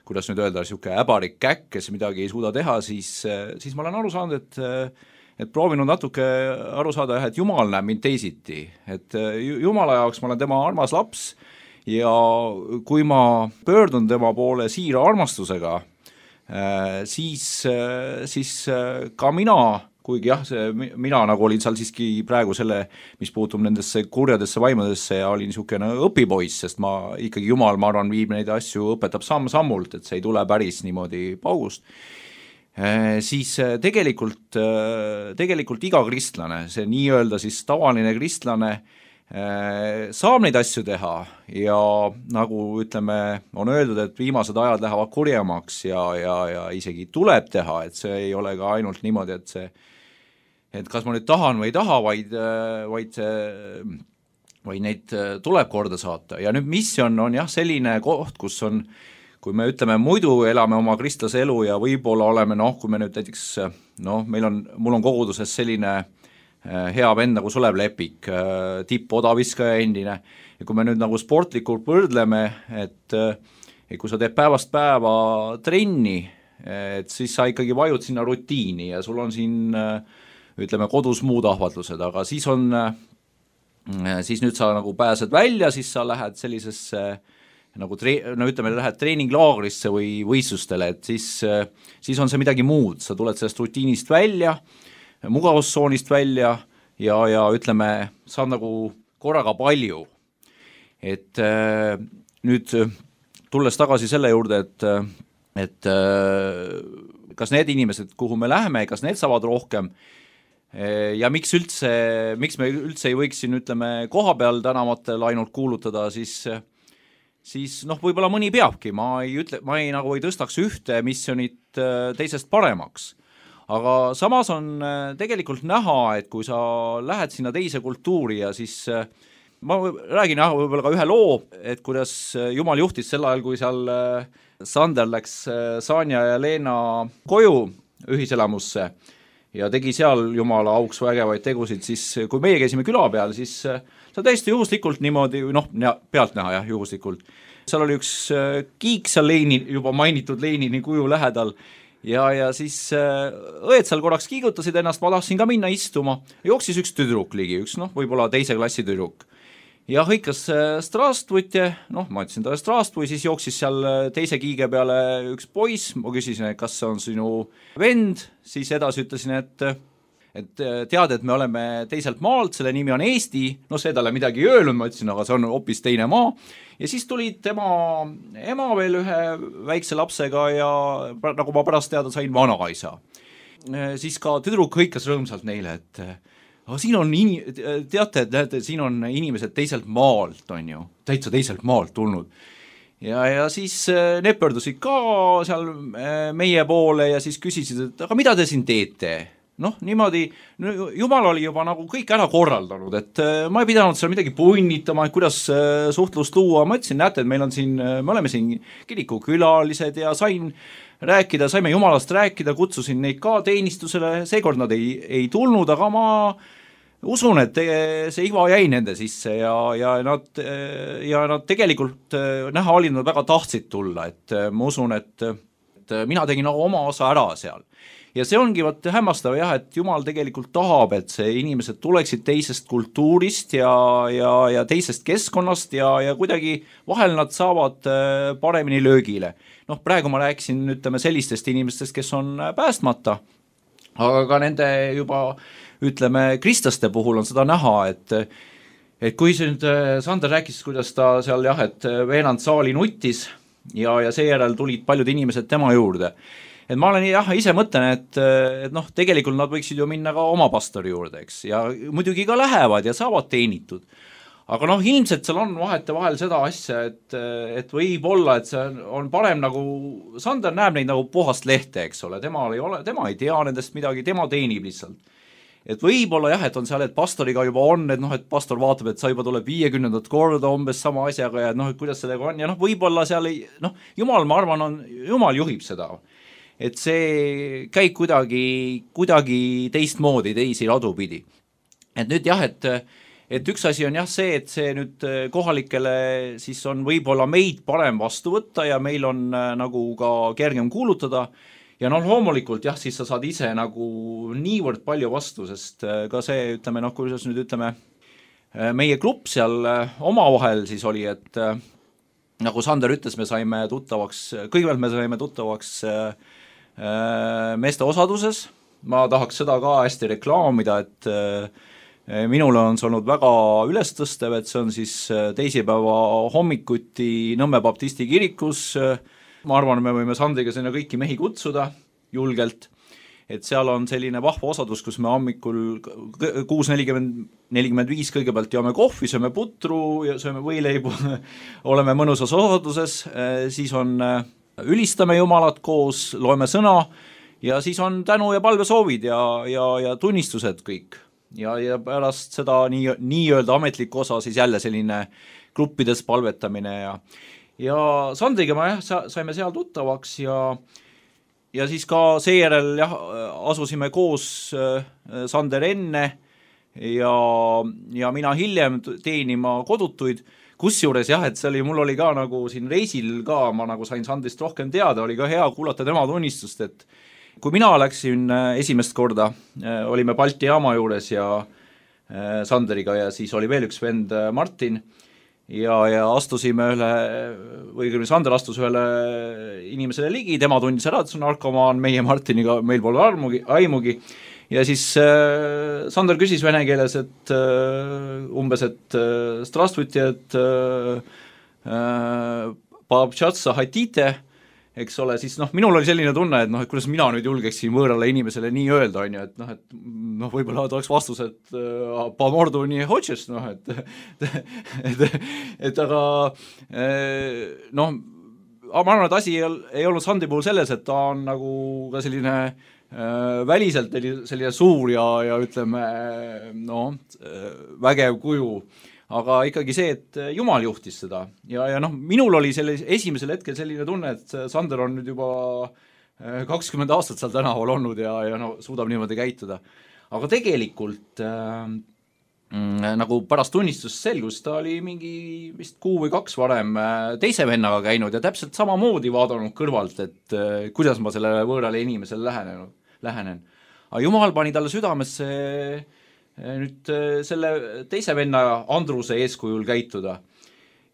kuidas nüüd öelda, siuke äbarik käkk, kes midagi ei suuda teha, siis, siis ma olen aru saanud, et, et proovinud natuke aru saada, et Jumal näeb mind teisiti, et Jumala jaoks ma olen tema armas laps ja kui ma pöördun tema poole siira armastusega, siis, siis ka mina, kuigi jah, see, mina nagu olin seal siiski praegu selle, mis puutub nendesse kurjadesse vaimudesse ja olin niisugune õpipoiss, sest ma ikkagi Jumal, ma arvan, viib neid asju, õpetab samm-sammult, et see ei tule päris niimoodi paugust, siis tegelikult, tegelikult iga kristlane, see nii-öelda siis tavaline kristlane, saab neid asju teha ja nagu ütleme, on öeldud, et viimased ajad lähevad kurjemaks ja, ja, ja isegi tuleb teha, et see ei ole ka ainult niimoodi, et see et kas ma nüüd tahan või ei taha, vaid, vaid, vaid neid tuleb korda saata. Ja nüüd missioon on jah selline koht, kus on, kui me ütleme, muidu elame oma kristlase elu ja võib-olla oleme, noh, kui me nüüd näiteks, noh, meil on, mul on koguduses selline hea vend nagu Sulev Lepik, tipp odaviskaja endine, ja kui me nüüd nagu sportlikult võrdleme, et, et kui sa teed päevast päeva trenni, et siis sa ikkagi vajud sinna rutiini ja sul on siin ütleme kodus muud ahvatlused, aga siis on, siis nüüd sa nagu pääsed välja, siis sa lähed sellisesse nagu tre-, no ütleme, lähed treeninglaagrisse või võistlustele, et siis, siis on see midagi muud, sa tuled sellest rutiinist välja, mugavustsoonist välja ja, ja ütleme, saad nagu korraga palju. Et nüüd tulles tagasi selle juurde, et, et kas need inimesed, kuhu me läheme, kas need saavad rohkem ja miks üldse, miks me üldse ei võiks siin, ütleme, koha peal tänavatel ainult kuulutada, siis, siis noh, võib-olla mõni peabki, ma ei ütle, ma ei nagu ei tõstaks ühte missionit teisest paremaks. Aga samas on tegelikult näha, et kui sa lähed sinna teise kultuuri ja siis ma räägin jah, võib-olla ka ühe loo, et kuidas Jumal juhtis sel ajal, kui seal Sander läks Sanja ja Leena koju ühiselamusse ja tegi seal Jumala auks vägevaid tegusid, siis kui meie käisime küla peal, siis see täiesti juhuslikult niimoodi, noh, pealt näha jah, juhuslikult. Seal oli üks kiik seal Leini, juba mainitud Leinini kuju lähedal ja, ja siis õed seal korraks kiigutasid ennast, ma tahtsin ka minna istuma, jooksis üks tüdruk ligi, üks noh, võib-olla teise klassi tüdruk. Ja hõikas Strastvutje, noh, ma ütlesin talle Strastvui, siis jooksis seal teise kiige peale üks poiss, ma küsisin, et kas see on sinu vend, siis edasi ütlesin, et, et tead, et me oleme teiselt maalt, selle nimi on Eesti, no see talle midagi ei öelnud, ma ütlesin, aga see on hoopis teine maa, ja siis tulid tema ema veel ühe väikse lapsega ja nagu ma pärast teada sain, vanaisa. Siis ka tüdruk hõikas rõõmsalt neile, et aga siin on, in... teate, et näete, siin on inimesed teiselt maalt, on ju, täitsa teiselt maalt tulnud. Ja, ja siis need pöördusid ka seal meie poole ja siis küsisid, et aga mida te siin teete? Noh, niimoodi, Jumal oli juba nagu kõik ära korraldanud, et ma ei pidanud seal midagi punnitama, et kuidas suhtlust luua, ma ütlesin, näete, et meil on siin, me oleme siin kirikukülalised ja sain rääkida, saime Jumalast rääkida, kutsusin neid ka teenistusele, seekord nad ei, ei tulnud, aga ma usun, et see iva jäi nende sisse ja, ja, nad, ja nad tegelikult näha olid, nad väga tahtsid tulla, et ma usun, et, et mina tegin nagu oma osa ära seal. Ja see ongi vaat hämmastav jah, et Jumal tegelikult tahab, et see inimesed tuleksid teisest kultuurist ja, ja, ja teisest keskkonnast ja, ja kuidagi vahel nad saavad paremini löögile. Noh, praegu ma rääkisin, ütleme, sellistest inimestest, kes on päästmata, aga ka nende juba, ütleme, kristlaste puhul on seda näha, et, et kui see nüüd Sander rääkis, kuidas ta seal jah, et veenand saali nuttis ja, ja seejärel tulid paljud inimesed tema juurde. Et ma olen jah, ise mõtlen, et, et noh, tegelikult nad võiksid ju minna ka oma pastori juurde, eks, ja muidugi ka lähevad ja saavad teenitud. Aga noh, ilmselt seal on vahete vahel seda asja, et, et võib olla, et see on parem nagu, Sander näeb neid nagu puhast lehte, eks ole, tema ei ole, tema ei tea nendest midagi, tema teenib lihtsalt. Et võib-olla jah, et on seal, et pastoriga juba on, et noh, et pastor vaatab, et sa juba tuleb viiekümnendat korda umbes sama asjaga ja noh, et kuidas sellega on ja noh, võib-olla seal ei, noh, Jumal, ma arvan, on, Jumal juhib seda. Et see käib kuidagi, kuidagi teistmoodi, teisi radu pidi. Et nüüd jah, et et üks asi on jah see, et see nüüd kohalikele siis on võib-olla meid parem vastu võtta ja meil on nagu ka kergem kuulutada ja noh, loomulikult jah, siis sa saad ise nagu niivõrd palju vastu, sest ka see, ütleme, noh, kuidas nüüd ütleme, meie klubb seal omavahel siis oli, et nagu Sander ütles, me saime tuttavaks, kõigepealt me saime tuttavaks meeste osaduses, ma tahaks seda ka hästi reklaamida, et minule on see olnud väga ülestõstev, et see on siis teisipäeva hommikuti Nõmme Baptisti kirikus, ma arvan, me võime Sandriga sinna kõiki mehi kutsuda julgelt, et seal on selline vahva osadus, kus me hommikul kuus nelikümmend, nelikümmend viis kõigepealt joome kohvi, sööme putru ja sööme võileibu, oleme mõnusas osaduses, siis on, ülistame Jumalat koos, loeme sõna ja siis on tänu ja palvesoovid ja, ja, ja tunnistused kõik. Ja, ja pärast seda nii, nii-öelda ametlikku osa siis jälle selline gruppides palvetamine ja, ja Sandriga me jah, saime seal tuttavaks ja ja siis ka seejärel jah, asusime koos Sander enne ja, ja mina hiljem teenima kodutuid, kusjuures jah, et see oli, mul oli ka nagu siin reisil ka, ma nagu sain Sandrist rohkem teada, oli ka hea kuulata tema tunnistust, et kui mina läksin esimest korda, olime Balti jaama juures ja Sanderiga ja siis oli veel üks vend Martin, ja, ja astusime üle, või küll Sander astus ühele inimesele ligi, tema tundis ära, et see on narkomaan, meie Martiniga, meil pole armugi, aimugi, ja siis äh, Sander küsis vene keeles, et äh, umbes, et äh, strastvuti, et äh, paabtšatsa hatite, eks ole, siis noh, minul oli selline tunne, et noh, et kuidas mina nüüd julgeksin võõrale inimesele nii öelda, on ju, et noh, et noh, võib-olla oleks vastus, et äh, pa mordu nii hočeš, noh, et et, et aga äh, noh, ma arvan, et asi ei, ei olnud Sandri puhul selles, et ta on nagu ka selline äh, väliselt selline suur ja, ja ütleme, noh, vägev kuju, aga ikkagi see, et Jumal juhtis seda ja, ja noh, minul oli selle esimesel hetkel selline tunne, et Sander on nüüd juba kakskümmend aastat seal tänaval olnud ja, ja no, suudab niimoodi käituda. Aga tegelikult äh, nagu pärast tunnistust selgus, ta oli mingi vist kuu või kaks varem teise vennaga käinud ja täpselt samamoodi vaadanud kõrvalt, et äh, kuidas ma sellele võõrale inimesele lähenen, lähenen. Aga Jumal pani talle südamesse nüüd selle teise venna Andruse eeskujul käituda.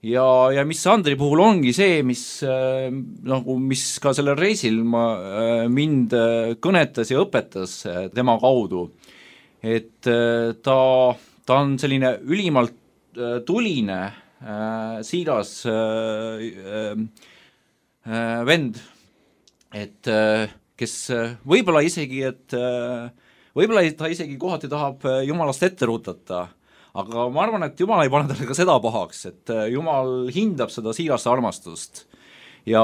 Ja, ja mis Andri puhul ongi see, mis, nagu, mis ka sellel reisil ma, mind kõnetas ja õpetas tema kaudu, et ta, ta on selline ülimalt tuline, siiras vend, et kes võib-olla isegi, et võib-olla ta isegi kohati tahab Jumalast ette rutata, aga ma arvan, et Jumal ei pane talle ka seda pahaks, et Jumal hindab seda siirast armastust ja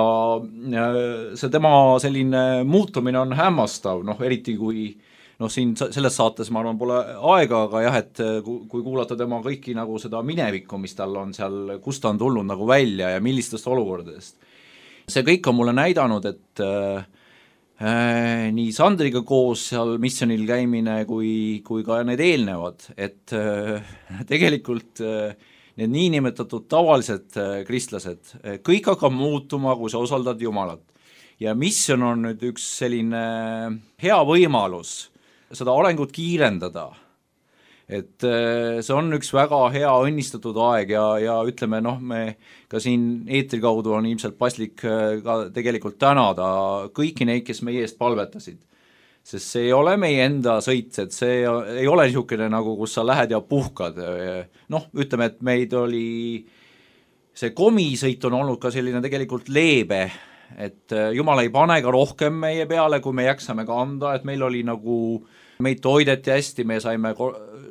see tema selline muutumine on hämmastav, noh eriti kui noh, siin selles saates ma arvan pole aega, aga jah, et kui kuulata tema kõiki nagu seda minevikku, mis tal on seal, kust ta on tulnud nagu välja ja millistest olukordadest. See kõik on mulle näidanud, et Äh, nii Sandriga koos seal missionil käimine kui, kui ka need eelnevad, et äh, tegelikult äh, need niinimetatud tavalised äh, kristlased, äh, kõik hakkab muutuma, kui sa osaldad Jumalat. Ja mission on nüüd üks selline hea võimalus seda arengut kiirendada. Et see on üks väga hea õnnistatud aeg ja, ja ütleme, noh, me ka siin eetri kaudu on ilmselt paslik ka tegelikult tänada kõiki neid, kes meie eest palvetasid. Sest see ei ole meie enda sõit, et see ei ole niisugune nagu, kus sa lähed ja puhkad. Noh, ütleme, et meid oli, see komisõit on olnud ka selline tegelikult leebe, et Jumal ei pane ka rohkem meie peale, kui me jaksame ka anda, et meil oli nagu meid toideti hästi, me saime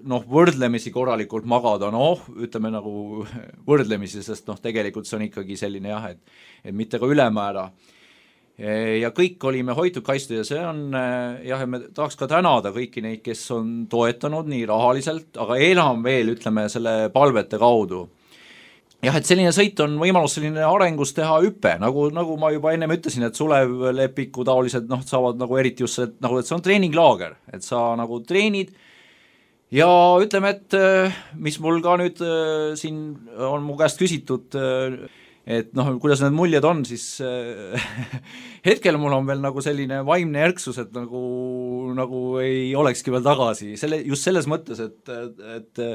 noh, võrdlemisi korralikult magada, noh, ütleme nagu võrdlemisi, sest noh, tegelikult see on ikkagi selline jah, et, et mitte ka ülemäära. Ja kõik olime hoitud kaitstud ja see on, jah, me tahaks ka tänada kõiki neid, kes on toetanud nii rahaliselt, aga enam veel, ütleme, selle palvete kaudu. Jah, et selline sõit on võimalus selline arengus teha hüppe, nagu, nagu ma juba ennem ütlesin, et Sulev Lepiku taolised noh, saavad nagu eriti just see, nagu, et see on treeninglaager, et sa nagu treenid ja ütleme, et mis mul ka nüüd siin on mu käest küsitud, et noh, kuidas need muljed on, siis hetkel mul on veel nagu selline vaimne erksus, et nagu, nagu ei olekski veel tagasi, selle, just selles mõttes, et, et,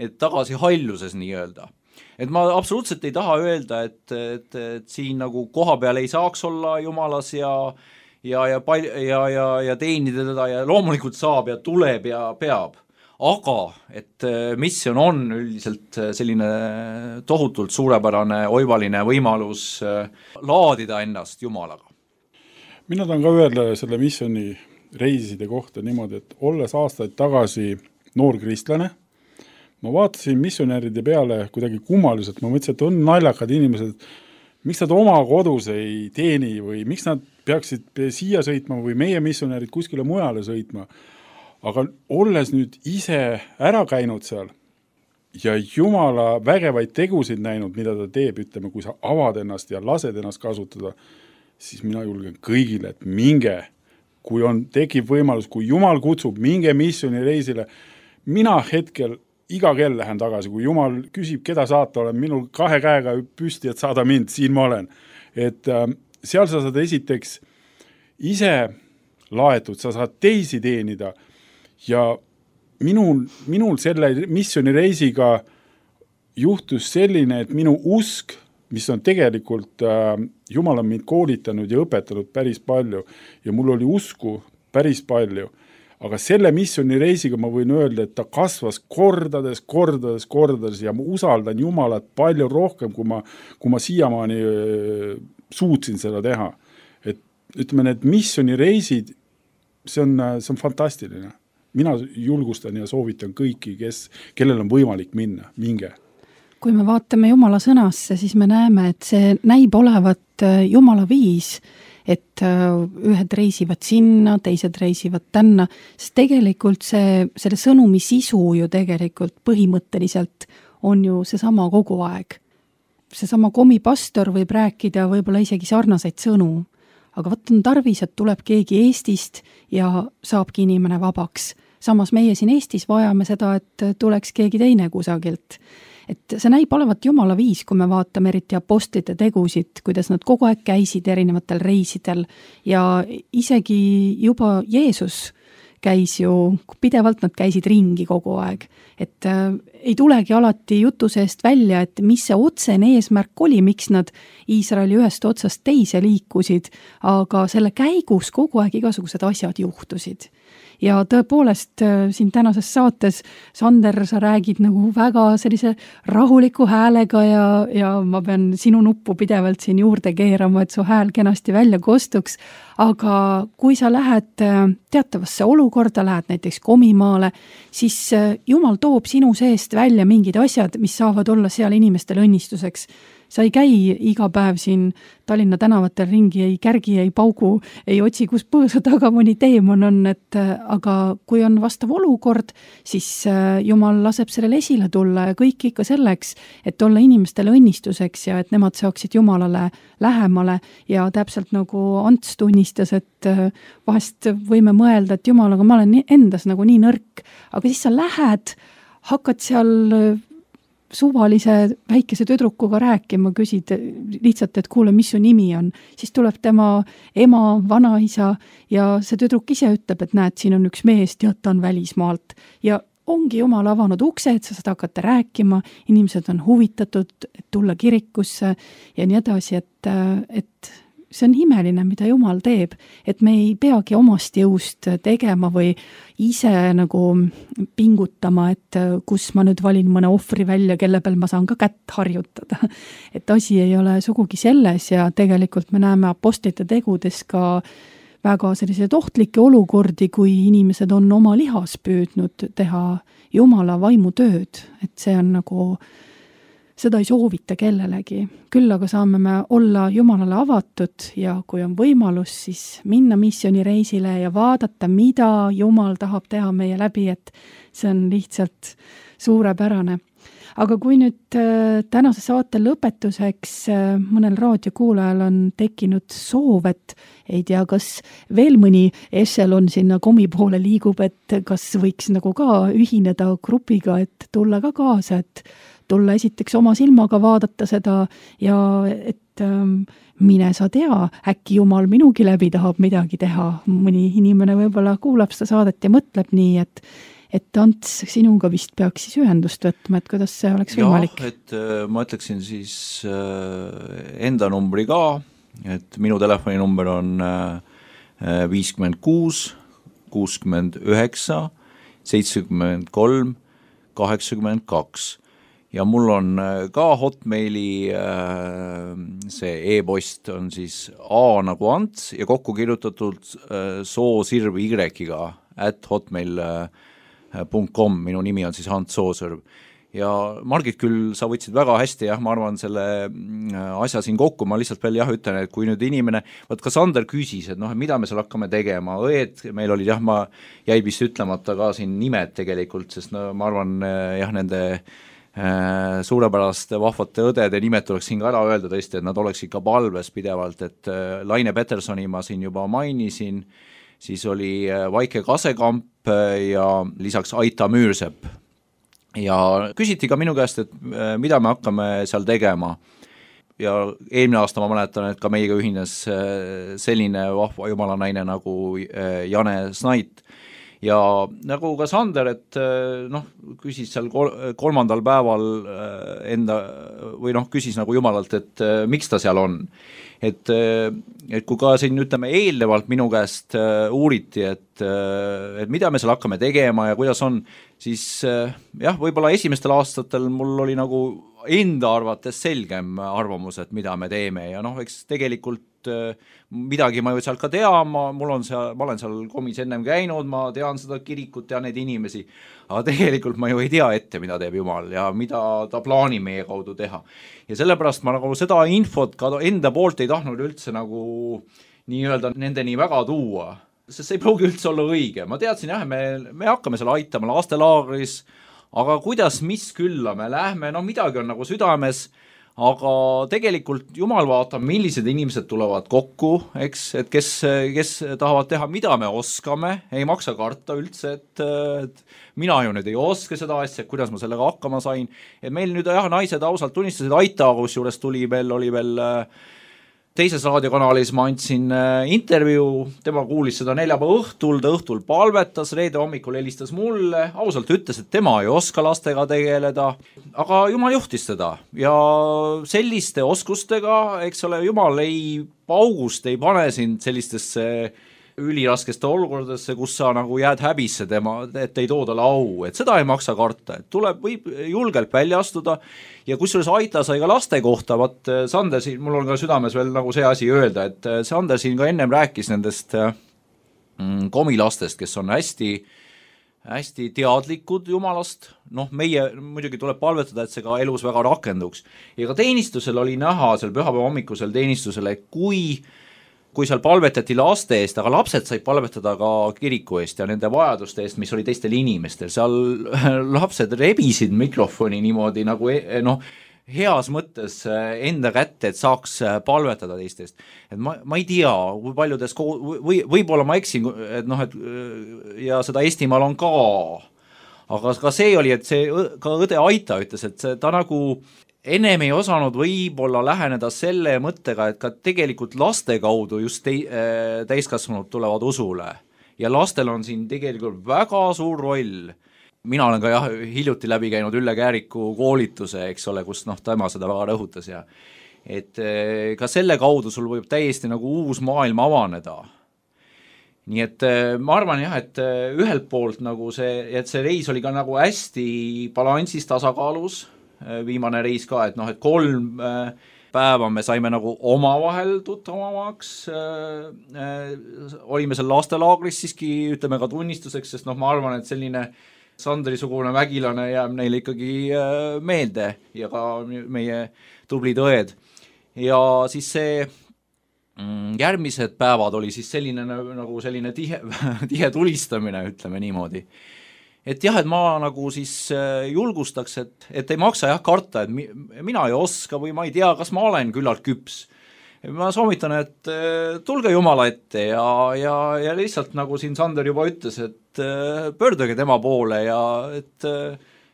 et tagasi halluses nii-öelda. et ma absoluutselt ei taha öelda, et, et, et siin nagu koha peal ei saaks olla jumalas ja ja, ja, pal- ja, ja, ja teenida teda ja loomulikult saab ja tuleb ja peab. Aga et missioon on üldiselt selline tohutult suurepärane oivaline võimalus laadida ennast Jumalaga. Mina tahan ka öelda selle missiooni reiside kohta niimoodi, et olles aastaid tagasi noor kristlane, ma vaatasin missionäride peale kuidagi kummaliselt, ma mõtlesin, et on naljakad inimesed, miks nad oma kodus ei teeni või miks nad peaksid siia sõitma või meie missionärid kuskile mujale sõitma. Aga olles nüüd ise ära käinud seal ja Jumala vägevaid tegusid näinud, mida ta teeb, ütleme, kui sa avad ennast ja lased ennast kasutada, siis mina julgen kõigile, et minge, kui on, tekib võimalus, kui Jumal kutsub, minge missiooni reisile, mina hetkel iga kell lähen tagasi, kui Jumal küsib, keda saata, olen minul kahe käega püsti, et saada mind, siin ma olen. Et äh, seal sa saad esiteks ise laetud, sa saad teisi teenida ja minul, minul selle missiooni reisiga juhtus selline, et minu usk, mis on tegelikult, äh, Jumal on mind koolitanud ja õpetanud päris palju ja mul oli usku päris palju. Aga selle missiooni reisiga ma võin öelda, et ta kasvas kordades, kordades, kordades ja ma usaldan Jumalat palju rohkem, kui ma, kui ma siiamaani äh, suutsin seda teha. Et ütleme, need missiooni reisid, see on, see on fantastiline. Mina julgustan ja soovitan kõiki, kes, kellel on võimalik minna, minge. Kui me vaatame Jumala sõnasse, siis me näeme, et see näib olevat Jumala viis, et ühed reisivad sinna, teised reisivad tänna, sest tegelikult see, selle sõnumi sisu ju tegelikult põhimõtteliselt on ju seesama kogu aeg. Seesama komipastor võib rääkida võib-olla isegi sarnaseid sõnu, aga võt on tarvis, et tuleb keegi Eestist ja saabki inimene vabaks. Samas meie siin Eestis vajame seda, et tuleks keegi teine kusagilt. Et see näib olevat Jumala viis, kui me vaatame eriti apostlite tegusid, kuidas nad kogu aeg käisid erinevatel reisidel ja isegi juba Jeesus käis ju, pidevalt nad käisid ringi kogu aeg. Et äh, ei tulegi alati jutu seest välja, et mis see otsene eesmärk oli, miks nad Iisraeli ühest otsast teise liikusid, aga selle käigus kogu aeg igasugused asjad juhtusid. Ja tõepoolest siin tänases saates, Sander, sa räägid nagu väga sellise rahuliku häälega ja, ja ma pean sinu nuppu pidevalt siin juurde keerama, et su hääl kenasti välja kostuks. Aga kui sa lähed teatavasse olukorda, lähed näiteks komimaale, siis Jumal toob sinu seest välja mingid asjad, mis saavad olla seal inimestele õnnistuseks. Sa ei käi iga päev siin Tallinna tänavatel ringi, ei kärgi, ei paugu, ei otsi, kus põõsa taga mõni teemon on, et aga kui on vastav olukord, siis Jumal laseb sellele esile tulla ja kõik ikka selleks, et olla inimestele õnnistuseks ja et nemad saaksid Jumalale lähemale ja täpselt nagu Ants tunnistas, et vahest võime mõelda, et Jumal, aga ma olen endas nagu nii nõrk, aga siis sa lähed, hakkad seal suvalise väikese tüdrukuga rääkima, küsid lihtsalt, et kuule, mis su nimi on, siis tuleb tema ema, vanaisa ja see tüdruk ise ütleb, et näed, siin on üks mees, tead, ta on välismaalt ja ongi Jumal avanud ukse, et sa saad hakata rääkima, inimesed on huvitatud, et tulla kirikusse ja nii edasi, et, et see on imeline, mida Jumal teeb, et me ei peagi omast jõust tegema või ise nagu pingutama, et kus ma nüüd valin mõne ohvri välja, kelle peal ma saan ka kätt harjutada. Et asi ei ole sugugi selles ja tegelikult me näeme apostlite tegudes ka väga selliseid ohtlikke olukordi, kui inimesed on oma lihas püüdnud teha Jumala vaimutööd, et see on nagu seda ei soovita kellelegi. Küll aga saame me olla Jumalale avatud ja kui on võimalus, siis minna missioonireisile ja vaadata, mida Jumal tahab teha meie läbi, et see on lihtsalt suurepärane. Aga kui nüüd tänase saate lõpetuseks mõnel raadiokuulajal on tekkinud soov, et ei tea, kas veel mõni ešelon sinna komi poole liigub, et kas võiks nagu ka ühineda grupiga, et tulla ka kaasa, et tulla esiteks oma silmaga vaadata seda ja et ähm, mine sa tea, äkki Jumal minugi läbi tahab midagi teha. Mõni inimene võib-olla kuulab seda saadet ja mõtleb nii, et, et Ants, sinuga vist peaks siis ühendust võtma, et kuidas see oleks võimalik? Jah, et ma ütleksin siis enda numbri ka, et minu telefoninumber on viiskümmend kuus, kuuskümmend üheksa, seitsekümmend kolm, kaheksakümmend kaks ja mul on ka Hotmaili see e-post on siis A nagu Ants ja kokku kirjutatud soosirv Y-ga at hotmail punkt com, minu nimi on siis Ants Soosõrv. Ja Margit küll, sa võtsid väga hästi, jah, ma arvan selle asja siin kokku, ma lihtsalt veel jah ütlen, et kui nüüd inimene, võt ka Sander küsis, et noh, mida me seal hakkame tegema, õed, meil olid jah, ma jäi vist ütlemata ka siin nimed tegelikult, sest no ma arvan jah, nende äh, suurepäraste vahvate õdede nimed tuleks siin ka ära öelda tõesti, et nad oleks ikka palves pidevalt, et äh, Laine Petersoni ma siin juba mainisin, siis oli äh, Vaike Kasekamp ja lisaks Aita Müürsepp. Ja küsiti ka minu käest, et mida me hakkame seal tegema. Ja eelmine aasta ma mäletan, et ka meiega ühines selline vahva jumalanaine nagu Jane Snait. Ja nagu ka Sander, et noh, küsis seal kolmandal päeval enda, või noh, küsis nagu jumalalt, et miks ta seal on. Et, et kui ka siin ütleme eelnevalt minu käest uuriti, et, et mida me seal hakkame tegema ja kuidas on, siis jah, võib-olla esimestel aastatel mul oli nagu enda arvates selgem arvamus, et mida me teeme ja noh, eks tegelikult midagi ma ju seal ka tean, ma, mul on seal, ma olen seal komis ennem käinud, ma tean seda kirikut, tean neid inimesi, aga tegelikult ma ju ei tea ette, mida teeb Jumal ja mida ta plaanib meie kaudu teha. Ja sellepärast ma nagu seda infot ka enda poolt ei tahtnud üldse nagu nii-öelda nendeni väga tuua, sest see ei pruugi üldse olla õige. Ma teadsin jah, me, me hakkame seal aitama lastelaagris, aga kuidas, mis külla me lähme, no midagi on nagu südames, aga tegelikult Jumal vaatab, millised inimesed tulevad kokku, eks, et kes, kes tahavad teha, mida me oskame, ei maksa karta üldse, et, et mina ju nüüd ei oska seda asja, kuidas ma sellega hakkama sain, et meil nüüd jah, naised ausalt tunnistasid, Aita, kus juures tuli veel, oli veel teises raadiokanalis ma andsin intervjuu, tema kuulis seda neljapäeva õhtul, ta õhtul palvetas, reede hommikul helistas mulle, ausalt ütles, et tema ei oska lastega tegeleda, aga Jumal juhtis teda ja selliste oskustega, eks ole, Jumal ei paugust, ei pane sind sellistesse üliraskeste olukordadesse, kus sa nagu jääd häbisse tema, et ei too talle au, et seda ei maksa karta, et tuleb, võib julgelt välja astuda ja kusjuures Aita sai ka laste kohta, vaat Sander siin, mul on ka südames veel nagu see asi öelda, et Sander siin ka ennem rääkis nendest mm, komilastest, kes on hästi, hästi teadlikud Jumalast, noh meie muidugi tuleb palvetada, et see ka elus väga rakenduks ja ka teenistusel oli näha seal pühapäeva hommikusel teenistusele, kui kui seal palvetati laste eest, aga lapsed said palvetada ka kiriku eest ja nende vajaduste eest, mis oli teistel inimestel. Seal lapsed rebisid mikrofoni niimoodi nagu noh, heas mõttes enda kätte, et saaks palvetada teistest. Et ma, ma ei tea, kui paljudes, või, võib-olla ma eksin, et noh, et ja seda Eestimaal on ka, aga ka see oli, et see ka õde Aita ütles, et see, ta nagu ennem ei osanud võib-olla läheneda selle mõttega, et ka tegelikult laste kaudu just te, täiskasvanud tulevad usule ja lastel on siin tegelikult väga suur roll. Mina olen ka jah, hiljuti läbi käinud Ülle Kääriku koolituse, eks ole, kus noh, tema seda väga rõhutas ja et ka selle kaudu sul võib täiesti nagu uus maailm avaneda. Nii et ma arvan jah, et ühelt poolt nagu see, et see reis oli ka nagu hästi balansis tasakaalus, viimane reis ka, et noh, et kolm päeva me saime nagu omavahel tuttavamaks, olime seal lastelaagris siiski, ütleme ka tunnistuseks, sest noh, ma arvan, et selline Sandri-sugune vägilane jääb neile ikkagi meelde ja ka meie tublid õed. Ja siis see järgmised päevad oli siis selline nagu selline tihe, tihe tulistamine, ütleme niimoodi. Et jah, et ma nagu siis julgustaks, et, et ei maksa jah karta, et mi, mina ei oska või ma ei tea, kas ma olen küllalt küps. Ma soovitan, et tulge Jumala ette ja, ja, ja lihtsalt nagu siin Sander juba ütles, et pöörduge tema poole ja et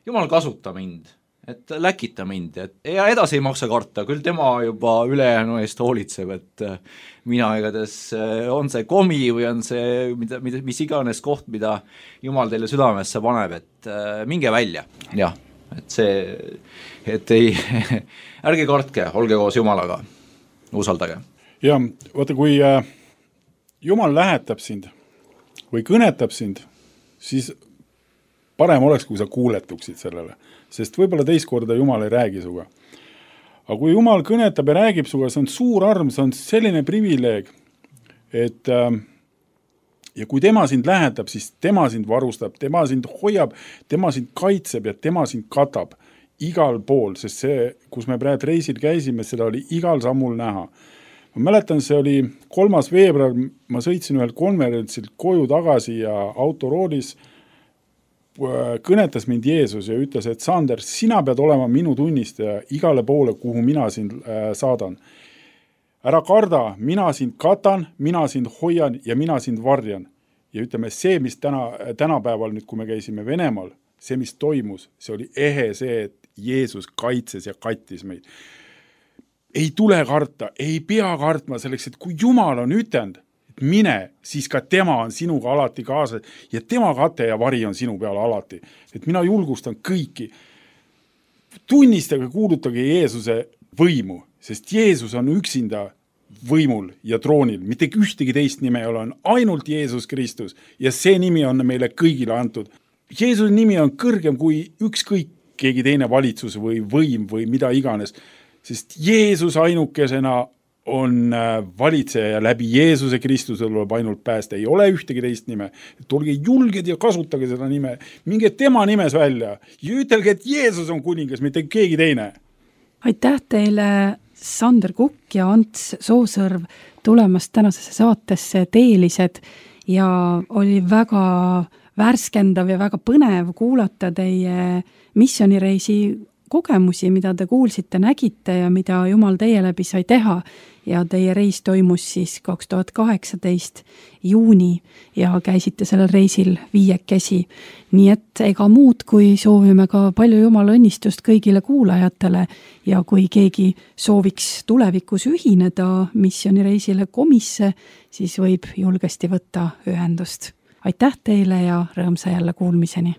Jumal kasuta mind. et läkita mind, et ja edasi ei maksa karta, küll tema juba ülejäänu eest hoolitseb, et mina igatahes on see komi või on see, mida, mida, mis iganes koht, mida Jumal teile südamesse paneb, et minge välja, jah, et see, et ei, ärge kartke, olge koos Jumalaga, usaldage. Ja vaata, kui Jumal lähetab sind või kõnetab sind, siis parem oleks, kui sa kuuletuksid sellele, sest võib-olla teist korda Jumal ei räägi suga. Aga kui Jumal kõnetab ja räägib suga, see on suur arm, see on selline privileeg, et äh, ja kui tema sind lähetab, siis tema sind varustab, tema sind hoiab, tema sind kaitseb ja tema sind katab igal pool, sest see, kus me praegu reisil käisime, seda oli igal sammul näha. Ma mäletan, see oli kolmas veebruar, ma sõitsin ühel konverentsilt koju tagasi ja autoroolis kõnetas mind Jeesus ja ütles, et Sander, sina pead olema minu tunnistaja igale poole, kuhu mina sind saadan. Ära karda, mina sind katan, mina sind hoian ja mina sind varjan. Ja ütleme, see, mis täna, tänapäeval nüüd, kui me käisime Venemaal, see, mis toimus, see oli ehe see, et Jeesus kaitses ja kattis meid. Ei tule karta, ei pea kartma selleks, et kui Jumal on ütend, mine, siis ka tema on sinuga alati kaasas ja tema kate ja vari on sinu peal alati. Et mina julgustan kõiki. Tunnistage, kuulutage Jeesuse võimu, sest Jeesus on üksinda võimul ja troonil. Mitte ühtegi teist nime ei ole, on ainult Jeesus Kristus ja see nimi on meile kõigile antud. Jeesuse nimi on kõrgem kui ükskõik keegi teine valitsus või võim või mida iganes, sest Jeesus ainukesena on valitseja ja läbi Jeesuse Kristuse tuleb ainult päästa. Ei ole ühtegi teist nime. Et olge julged ja kasutage seda nime. Minge tema nimes välja ja ütelge, et Jeesus on kuningas, mitte keegi teine. Aitäh teile, Sander Kukk ja Ants Soosõrv, tulemast tänasesse saatesse Teelised ja oli väga värskendav ja väga põnev kuulata teie missioonireisi kogemusi, mida te kuulsite, nägite ja mida Jumal teie läbi sai teha ja teie reis toimus siis kaks tuhat kaheksateist juuni ja käisite sellel reisil viiekesi. Nii et ega muud, kui soovime ka palju Jumala õnnistust kõigile kuulajatele ja kui keegi sooviks tulevikus ühineda missioonireisile komisse, siis võib julgesti võtta ühendust. Aitäh teile ja rõõmsa jälle kuulmiseni!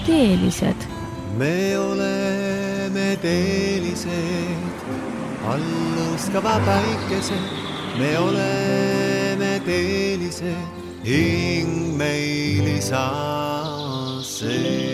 Teelised. Me oleme teelised, alluskava päikesed. Me oleme teelised, hing meil saa see.